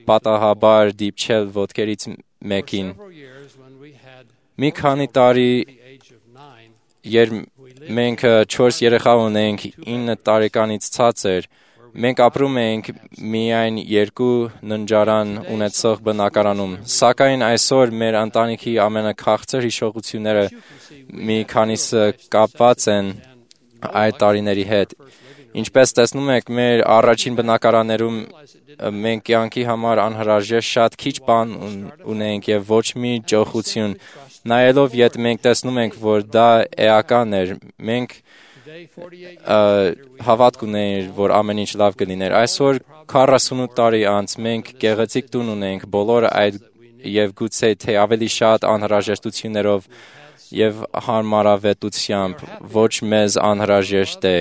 պատահաբար դիպչել ոտքերից մեկին։ Մի քանի տարի, երբ մենք 4 երեխա ունեինք, 9 տարեկանից ցածր, մենք ապրում էինք միայն 2 ննջարան ունեցող բնակարանում, սակայն այսօր մեր ընտանիքի ամենաքաղցր հիշողությունները մի քանիսը կապված են այդ տարիների հետ։ Ինչպես տեսնում եք, մեր առաջին բնակարաններում մենք կյանքի համար անհրաժեշտ շատ քիչ բան ունեինք եւ ոչ մի ջոխություն։ Նայելով ետ մենք տեսնում ենք, որ դա էական էր։ Մենք հավատք ունեինք, որ ամեն ինչ լավ կլիներ։ Այսօր 48 տարի անց մենք գեղեցիկ տուն ունենք, բոլորը այդ եւ գուցե թե ավելի շատ անհրաժեշտություններով եւ հարմարավետությամբ, ոչ մեզ անհրաժեշտ է։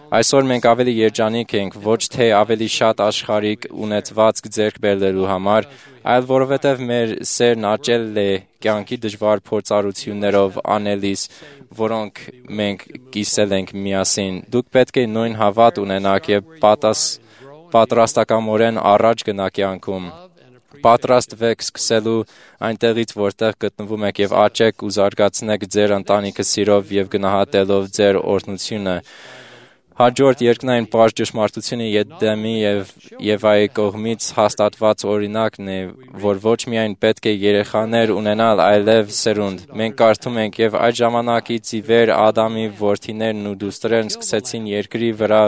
Այսօր մենք ավելի երջանիկ ենք, ոչ թե ավելի շատ աշխարհիկ ունեցվածք ձեռք բերելու համար, այլ որովհետև մեր սերն աճել է կյանքի դժվար փորձառություններով անելիս, որոնք մենք կիսել ենք միասին։ Դուք պետք է նույն հավատ ունենաք եւ պատրաստակամորեն առաջ գնաք կյանքում։ Պատրաստվեք սկսելու այնտեղից, որտեղ գտնվում եք եւ աճեք ու զարգացնեք ձեր ընտանիքը սիրով եւ գնահատելով ձեր օրհնությունը։ Հաջորդ երկնային պարզ ճշմարտությունը Եդեմի եւ Եվայի կողմից հաստատված օրինակն է, որ ոչ միայն պետք է երեխաներ ունենալ, այլև սերունդ։ Մենք կարդում ենք եւ այդ ժամանակից ի վեր Ադամի որդիներն ու դուստրերն սկսեցին երկրի վրա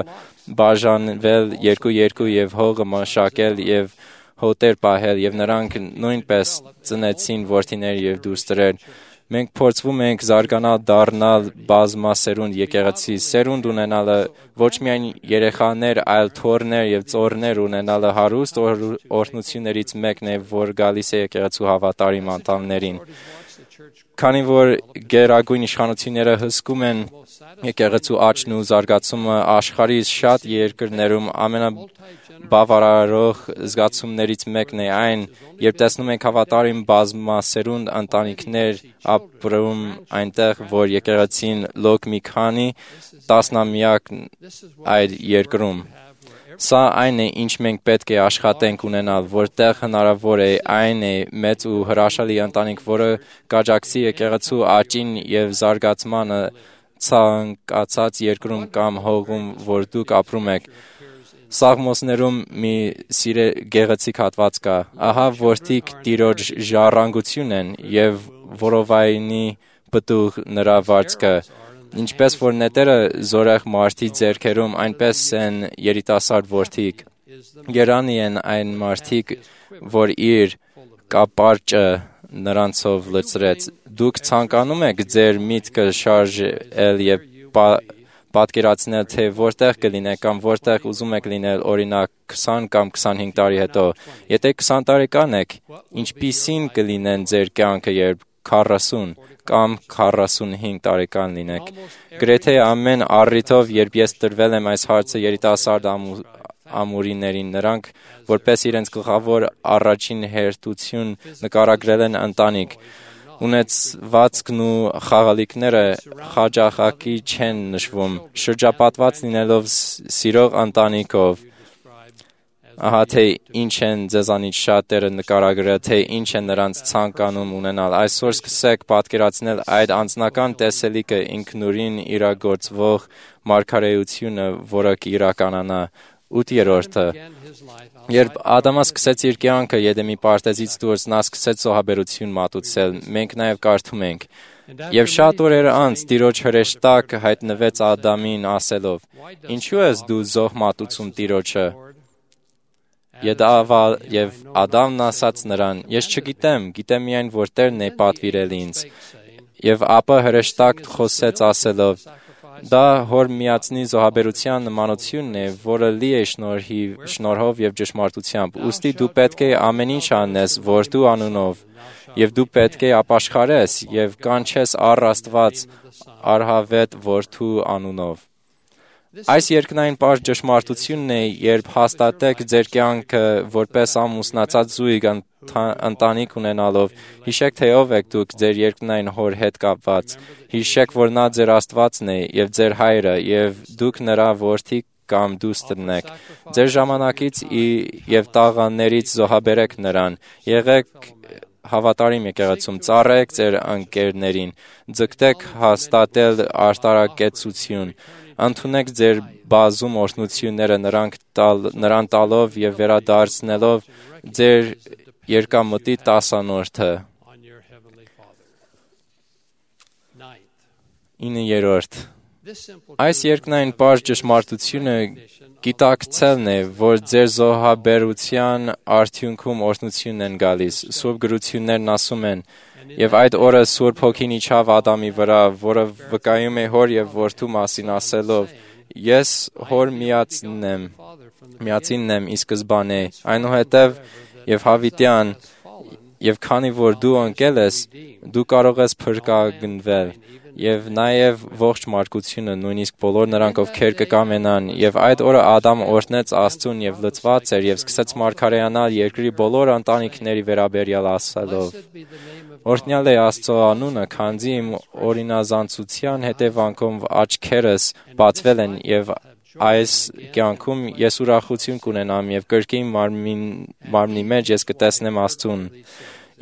բաժանվել երկու եւ հողը մշակել եւ հոտեր պահել եւ նրանք նույնպես ծնեցին որդիներ եւ դուստրեր։ Մենք փորձվում ենք զարգանալ, դառնալ բազմասերունդ եկեղեցի, սերունդ ունենալը ոչ միայն երեխաներ, այլ թոռներ եւ ծոռներ ունենալը հարուստ օրհնություններից մեկն է, որ գալիս է եկեղեցու հավատարիմ անդամներին։ Քանի որ գերագույն իշխանությունները հսկում են եկեղեցու աճն ու զարգացումը աշխարհի շատ երկրներում ամենաբավարարող զգացումներից մեկն է այն, երբ տեսնում ենք հավատարիմ բազմասերունդ ընտանիքներ ապրում այնտեղ, որ եկեղեցին լոկ մի քանի տասնամյակ այդ երկրում։ Սա այն է, ինչ մենք պետք է աշխատենք ունենալ, որտեղ հնարավոր է, այն է մեծ ու հրաշալի ընտանիք, որը կաջակցի եկեղեցու աճին եւ զարգացմանը ցանկացած երկրում կամ հողում, որ դուք ապրում եք։ Սաղմոսներում մի գեղեցիկ հատված կա. «Ահա որդիկ տիրոջ ժառանգություն են եւ որովայնի պտուղ նրա վարձքը»։ Ինչպես որ նետերը զորեղ մարդի ձեռքերում, այնպես են երիտասարդ որդիկ։ Երանի են այն մարդիկ, որ իր կապարճը նրանցով լցրեց։ Դուք ցանկանում եք ձեր միտքը շարժել եւ պատկերացնել, թե որտեղ կլինեք կամ որտեղ ուզում եք լինել, օրինակ 20 կամ 25 տարի հետո։ Եթե 20 տարեկան եք, ինչպիսին կլինեն ձեր կյանքը, երբ 40 կամ 45 տարեկան լինեք։ Գրեթե ամեն առիթով, երբ ես տրվել եմ այս հարցը երիտասարդ ամուրիներին, նրանք, որպես իրենց գլխավոր առաջին հերթություն նկարագրել են ընտանիք, ունեցվածքն ու խաղալիքները խաչախակի չեն նշվում, շրջապատված լինելով սիրող ընտանիքով։ Ահա թե ինչ են ձեզանից շատերը նկարագրել, թե ինչ են նրանց ցանկանում ունենալ։ Այսօր սկսեք պատկերացնել այդ անձնական տեսելիքը ինքնուրույն իրագործվող մարգարեությունը, որը կիրականանա։ 8-րդը. Երբ Ադամը սկսեց իր կյանքը Եդեմի պարտեզից դուրս, նա սկսեց զոհաբերություն մատուցել։ Մենք նաև կարդում ենք. «Եվ շատ օրեր անց Տիրոջ հրեշտակ հայտնվեց Ադամին ասելով. ինչու ես դու զոհ մատուցում Տիրոջը»։ Եվ Ադամն ասաց նրան. «Ես չգիտեմ, գիտեմ միայն, որ Տերն է պատվիրել ինձ»։ Եվ ապա հրեշտակ խոսեց ասելով. «Դա հոր միածնի զոհաբերության նմանությունն է, որը լի է շնորհով եւ ճշմարտությամբ։ Ուստի դու պետք է ամեն ինչ անես որդու անունով, եւ դու պետք է ապաշխարես եւ կանչես առ Աստված արհավետ որդու անունով»։ Այս երկնային պարզ ճշմարտությունն է, երբ հաստատեք ձեր կյանքը որպես ամուսնացած զույգ ընտանիք ունենալով, հիշեք, թե ով եք դուք ձեր երկնային հոր հետ կապված, հիշեք, որ նա ձեր Աստվածն է եւ ձեր հայրը, եւ դուք նրա որդիք կամ դուստրն եք։ Ձեր ժամանակից եւ տաղաններից զոհաբերեք նրան, եղեք հավատարիմ եկեղեցում, ծառայեք ձեր ընկերներին, ձգտեք հաստատել արտարակեցություն, ընդունեք ձեր բազում օրհնությունները նրան տալով եւ վերադարձնելով ձեր երկամտի տասանորդը։ 9-րդ. Այս երկնային պարզ ճշմարտությունը գիտակցելն է, որ ձեր զոհաբերության արդյունքում օրհնությունն են գալիս։ Սուրբ գրություններն ասում են. «Եվ այդ օրը Սուրբ Հոգին իջավ Ադամի վրա, որը վկայում է հոր եւ որդու մասին ասելով. ես հոր միածինն եմ ի սկզբանե, այնուհետև եւ հավիտյան, եւ քանի որ դու ընկել ես, դու կարող ես փրկագնվել, եւ նաեւ ողջ մարդկությունը, նույնիսկ բոլոր նրանք, ովքեր կկամենան, եւ այդ օրը Ադամը օրհնեց Աստծուն եւ լծված էր եւ սկսեց մարգարեանալ երկրի բոլոր ընտանիքների վերաբերյալ ասելով. Օրհնյալ է Աստծո անունը, քանզի իմ օրինազանցության հետևանքով աչքերս բացվել են եւ այս կյանքում ես ուրախություն կունենամ եւ կրկին մարմնի մեջ ես կտեսնեմ Աստծուն։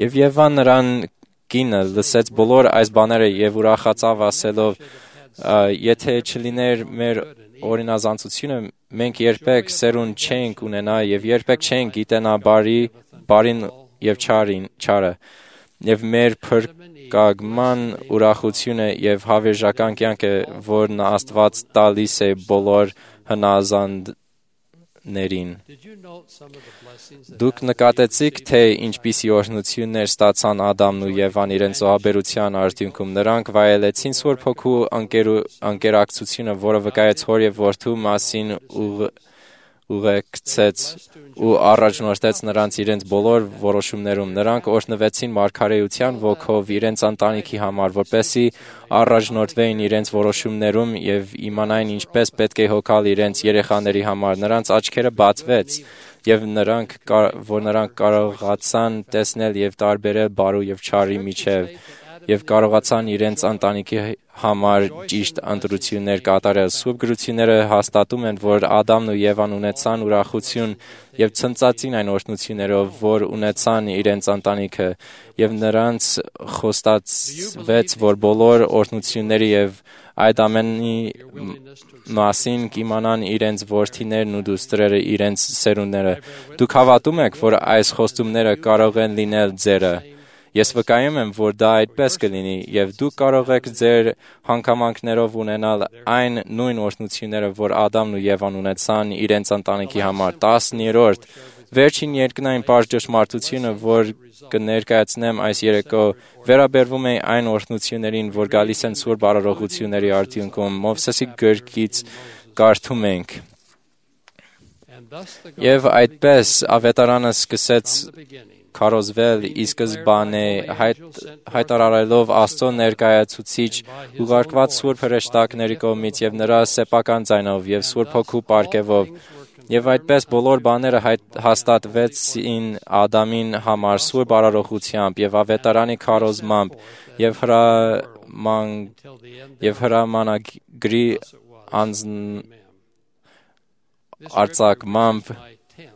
Եվ Եվան նրան կինը լսեց բոլոր այս բաները եւ ուրախացավ ասելով. Եթե չլիներ մեր օրինազանցությունը, մենք երբեք սերունդ չենք ունենա եւ երբեք չենք գիտենա բարին եւ չարը եւ մեր փրկagman ուրախությունը եւ հավերժական կյանքը, որն Աստված տալիս է բոլոր հնազանդներին։ Դուք նկատեցիք, թե ինչպիսի օրհնություններ ստացան Ադամն ու Եվան իրենց զոհաբերության արդյունքում։ Նրանք վայելեցին Սուրբ Հոգու անկերակցությունը, որը վկայեց Հոր եւ Որդու մասին ուղեկցեց ու առաջնորդեց նրանց իրենց բոլոր որոշումներում։ Նրանք օրհնվեցին մարգարեության ոգով իրենց ընտանիքի համար, որպեսզի առաջնորդվեին իրենց որոշումներում եւ իմանային ինչպես պետք է հոգալ իրենց երեխաների համար։ Նրանց աչքերը բացվեց եւ նրանք կարողացան տեսնել եւ տարբերել բարու եւ չարի միջև եւ կարողացան իրենց ընտանիքի համար ճիշտ ընտրություններ կատարել։ Սուրբ գրությունները հաստատում են, որ Ադամն ու Եվան ունեցան ուրախություն եւ ցնծացին այն օրհնություններով, որ ունեցան իրենց ընտանիքը, եւ նրանց խոստացվեց, որ բոլոր օրհնությունների եւ այդ ամենի մասին կիմանան իրենց որդիներն ու դուստրերը, իրենց սերունդները։ Դուք հավատում եք, որ այս խոստումները կարող են լինել ձերը։ Ես վկայում եմ, որ դա այդպես կլինի, եւ դուք կարող եք ձեր հանգամանքներով ունենալ այն նույն օրհնությունները, որ Ադամն ու Եվան ունեցան իրենց ընտանիքի համար։ 10-րդ վերջին երկնային պարզ ճշմարտությունը, որ կներկայացնեմ այս երեկո, վերաբերվում է այն օրհնություններին, որ գալիս են Սուրբ արարողությունների արդյունքում։ Մովսեսի գրքից կարդում ենք. Եվ այդպես ավետարանը սկսեց քարոզվել ի սկզբանե հայտարարելով Աստծո ներկայացուցիչ ուղարկված Սուրբ հրեշտակների կողմից եւ նրա սեփական ձայնով եւ Սուրբ Հոգու պարգևով եւ այդպես բոլոր բաները հաստատվեցին Ադամին համար Սուրբ արարողությամբ եւ ավետարանի քարոզմամբ եւ հրամանագրի արձակմամբ,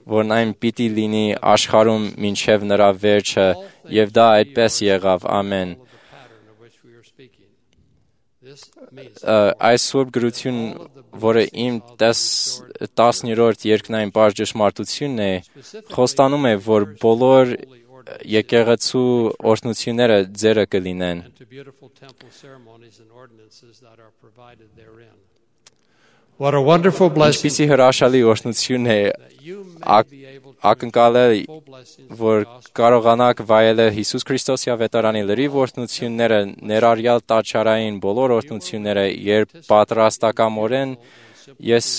որն այն պիտի լինի աշխարհում մինչև նրա վերջը, եւ դա այդպես եղավ, ամեն։ Այս սուրբ գրություն, որը իմ 10-րդ երկնային պարզ ճշմարտությունն է, խոստանում է, որ բոլոր եկեղեցու օրհնությունները ձերը կլինեն։ What a wonderful blessing. Ինչպիսի հրաշալի օրհնություն է ակնկալել, որ կարողանաք վայելել Հիսուս Քրիստոսի ավետարանի լրիվ օրհնությունները, ներառյալ տաճարային բոլոր օրհնությունները, երբ պատրաստակամորեն ես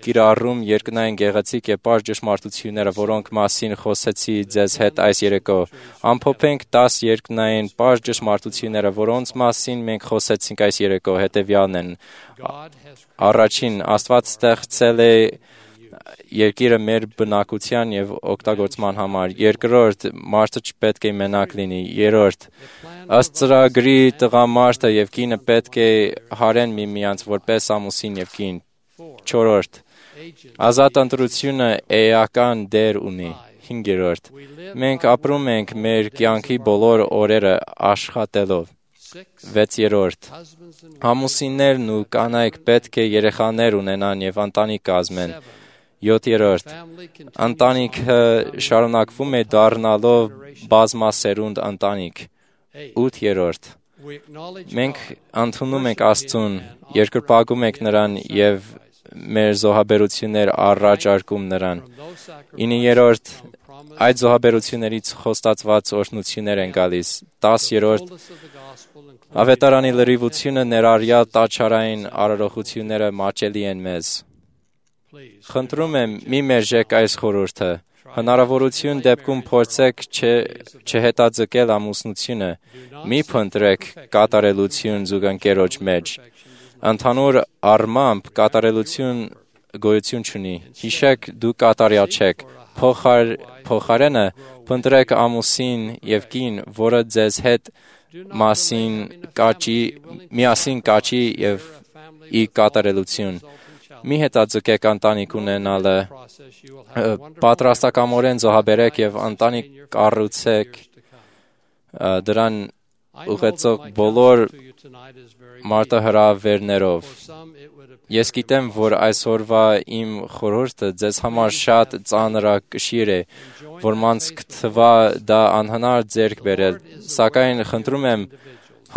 կիրառում երկնային գեղեցիկ եւ պարզ ճշմարտությունները, որոնք մասին խոսեցի ձեզ հետ այս երեկո։ Ամփոփենք 10 երկնային պարզ ճշմարտությունները, որոնց մասին մենք խոսեցինք այս երեկո, հետեւյալն են. Առաջին, Աստված ստեղծել է երկիրը մեր բնակության եւ օգտագործման համար։ Երկրորդ, մարդը չպետք է մենակ լինի։ Երրորդ, ըստ ծրագրի տղամարդը եւ կինը պետք է հարեն միմյանց որպես ամուսին եւ կին։ Չորրորդ, ազատ ընտրությունը էական դեր ունի։ 5-րդ, մենք ապրում ենք մեր կյանքի բոլոր օրերը աշխատելով։ 6-րդ, ամուսիններն ու կանայք պետք է երեխաներ ունենան եւ ընտանիք կազմեն։ 7-րդ, ընտանիքը շարունակվում է դառնալով բազմասերունդ ընտանիք։ 8-րդ, մենք ընդունում ենք Աստծուն, երկրպագում ենք Նրան եւ մեր զոհաբերություններ առաջարկում Նրան։ 9-րդ, այդ զոհաբերություններից խոստացված օրհնություններ են գալիս։ 10-րդ, ավետարանի լրիվությունը ներառյալ տաճարային արարողությունները մաչելի են մեզ։ Խնդրում եմ, մի մերժեք այս խորհուրդը։ Հնարավորություն դեպքում փորձեք չհետաձգել ամուսնությունը։ Մի փնտրեք կատարելություն զուգընկերոջ մեջ։ Ընդհանուր առմամբ կատարելություն գոյություն չունի։ Հիշեք, դուք կատարյալ չեք։ Փոխարենը փնտրեք ամուսին եւ կին, որը ձեզ հետ միասին կաչի եւ ի կատարելություն։ Մի հետաձգեք ընտանիք ունենալը, պատրաստակամորեն զոհաբերեք եւ ընտանիք կառուցեք դրան ուղեցող բոլոր մարտահրավերներով։ Ես գիտեմ, որ այսօրվա իմ խորհուրդը ձեզ համար շատ ծանրակշիռ է, որ մանց կթվա դա անհնար ձեռք բերել, սակայն խնդրում եմ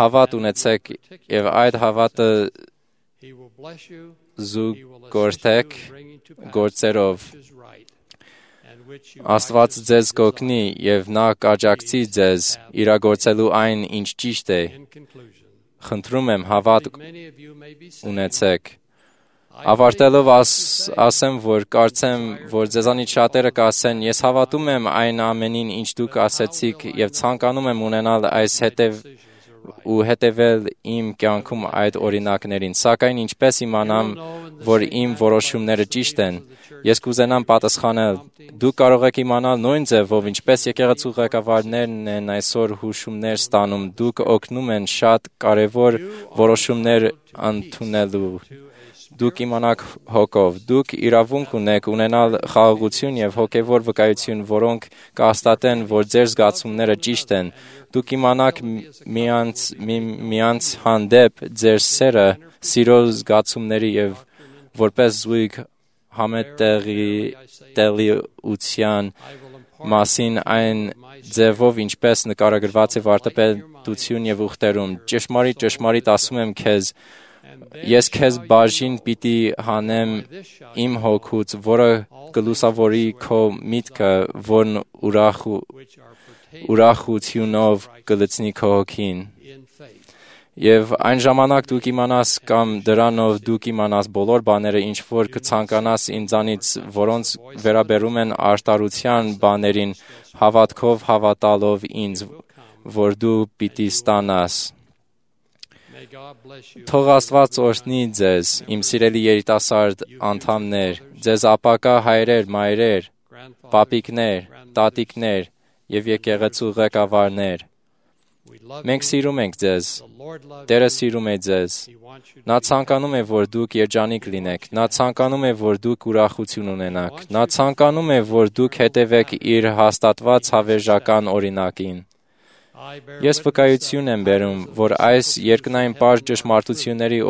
հավատ ունեցեք եւ այդ հավատը զուգորդեք գործերով։ Աստված ձեզ կօգնի եւ նա կաջակցի ձեզ իրագործելու այն, ինչ ճիշտ է։ Խնդրում եմ հավատ ունեցեք։ Ավարտելով ասեմ, որ կարծեմ, որ ձեզանից շատերը կասեն, ես հավատում եմ այն ամենին, ինչ դուք ասեցիք եւ ցանկանում եմ ունենալ այս հետևել իմ կյանքում այդ օրինակներին, սակայն ինչպես իմանամ, որ իմ որոշումները ճիշտ են, ես կուզենամ պատասխանել, դուք կարող եք իմանալ նույն ձևով, ինչպես եկեղեցու ղեկավարներն են այսօր հուշումներ ստանում, դուք օգնում են շատ կարևոր որոշումներ ընդունելու, դուք իմանաք հոգով, դուք իրավունք ունեք ունենալ խաղաղություն եւ հոգեվոր վկայություն, որոնք կհաստատեն, որ ձեր զգացումները ճիշտ են, դուք իմանաք միմյանց հանդեպ ձեր սերը, սիրո զգացումների եւ որպես զույգ համետեղության մասին այն ձևով, ինչպես նկարագրված է վարդապետություն եւ ուխտերում, ճշմարիտ ասում եմ քեզ, ես քեզ բաժին պիտի հանեմ իմ հոգուց, որը կլուսավորի քո միտքը, որն ուրախությունով կլցնի քո հոգին։ Եվ այն ժամանակ դուք իմանաս կամ դրանով դուք իմանաս բոլոր բաները, ինչ որ կցանկանաս ինձանից, որոնց վերաբերում են արտարության բաներին, հավատքով հավատալով ինձ, որ դու պիտի ստանաս։ Թող Աստված օրհնի ձեզ, իմ սիրելի երիտասարդ անդամներ, ձեզ ապակա հայրեր, մայրեր, պապիկներ, տատիկներ եւ եկեղեցու ղեկավարներ։ Մենք սիրում ենք ձեզ, Տերը սիրում է ձեզ, նա ցանկանում է, որ դուք երջանիկ լինեք, նա ցանկանում է, որ դուք ուրախություն ունենաք, նա ցանկանում է, որ դուք հետևեք իր հաստատված հավերժական օրինակին։ Ես վկայություն եմ բերում, որ այս երկնային պարզ ճշմարտությունների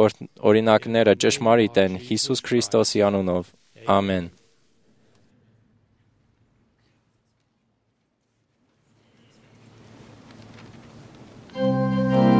օրինակները ճշմարիտ են Հիսուս Քրիստոսի անունով։ Ամեն։ Jehovah.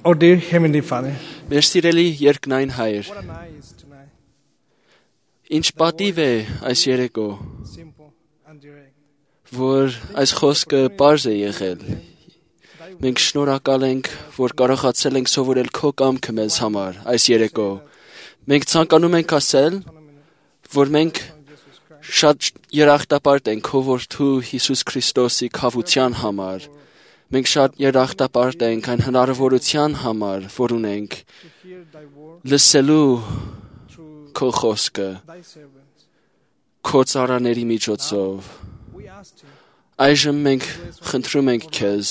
Our dear Heavenly Father, Մեր սիրելի երկնային Հայր, what a night is tonight. ինչ պատիվ է այս երեկո, Simple and direct. որ այս խոսքը պարզ է եղել։ Մենք շնորհակալ ենք, որ կարողացել ենք սովորել քո կամքը մեզ համար այս երեկո։ Մենք ցանկանում ենք ասել, որ մենք շատ երախտապարտ ենք քո որդու Հիսուս Քրիստոսի քավության համար։ Մենք շատ երախտապարտ ենք այն հնարավորության համար, որ ունենք To hear thy word լսելու through քո խոսքը thy servants. քո ծառաների միջոցով։ We ask thee, Այժմ մենք խնդրում ենք քեզ,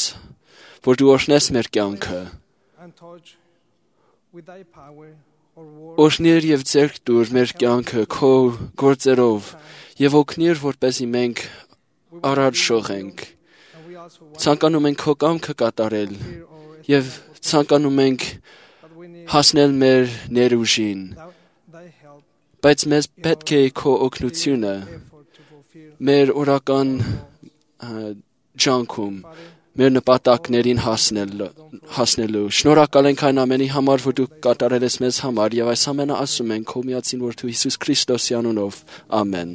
որ դու օրհնես մեր կյանքը, and touch with thy power our word. օրհնիր եւ ձեռք տուր մեր կյանքը քո գործերով եւ օգնիր, որպեսզի մենք առաջ շողենք։ And we also want Ցանկանում ենք քո կամքը կատարել to hear our եւ ցանկանում ենք but we need հասնել մեր ներուժին, thy help բայց մեզ պետք է քո օգնությունը effort to fulfill. մեր օրական ջանքում մեր նպատակներին հասնելու։ Շնորհակալ ենք այն ամենի համար, որ դու կատարել ես մեզ համար եւ այս ամենը ասում ենք քո միածին որդու Հիսուս Քրիստոսի անունով։ Ամեն։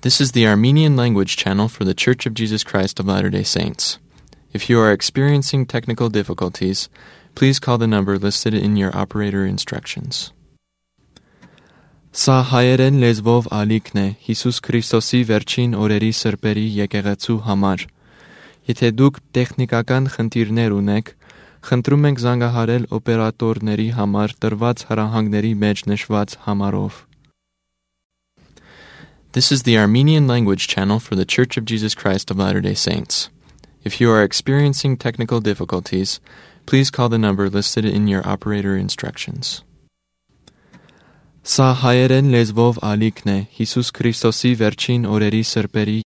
This is the Armenian language channel for the Church of Jesus Christ of Latter-day Saints. If you are experiencing technical difficulties, please call the number listed in your operator instructions. Սա հայերեն լեզվով ալիքն է Հիսուս Քրիստոսի վերջին օրերի սրբերի եկեղեցու համար։ Եթե դուք տեխնիկական խնդիրներ ունեք, խնդրում ենք զանգահարել օպերատորների համար տրված հրահանգների մեջ նշված համարով։ This is the Armenian language channel for the Church of Jesus Christ of Latter-day Saints. If you are experiencing technical difficulties, please call the number listed in your operator instructions. Սա հայերեն լեզվով ալիքն է Հիսուս Քրիստոսի վերջին օրերի սրբերի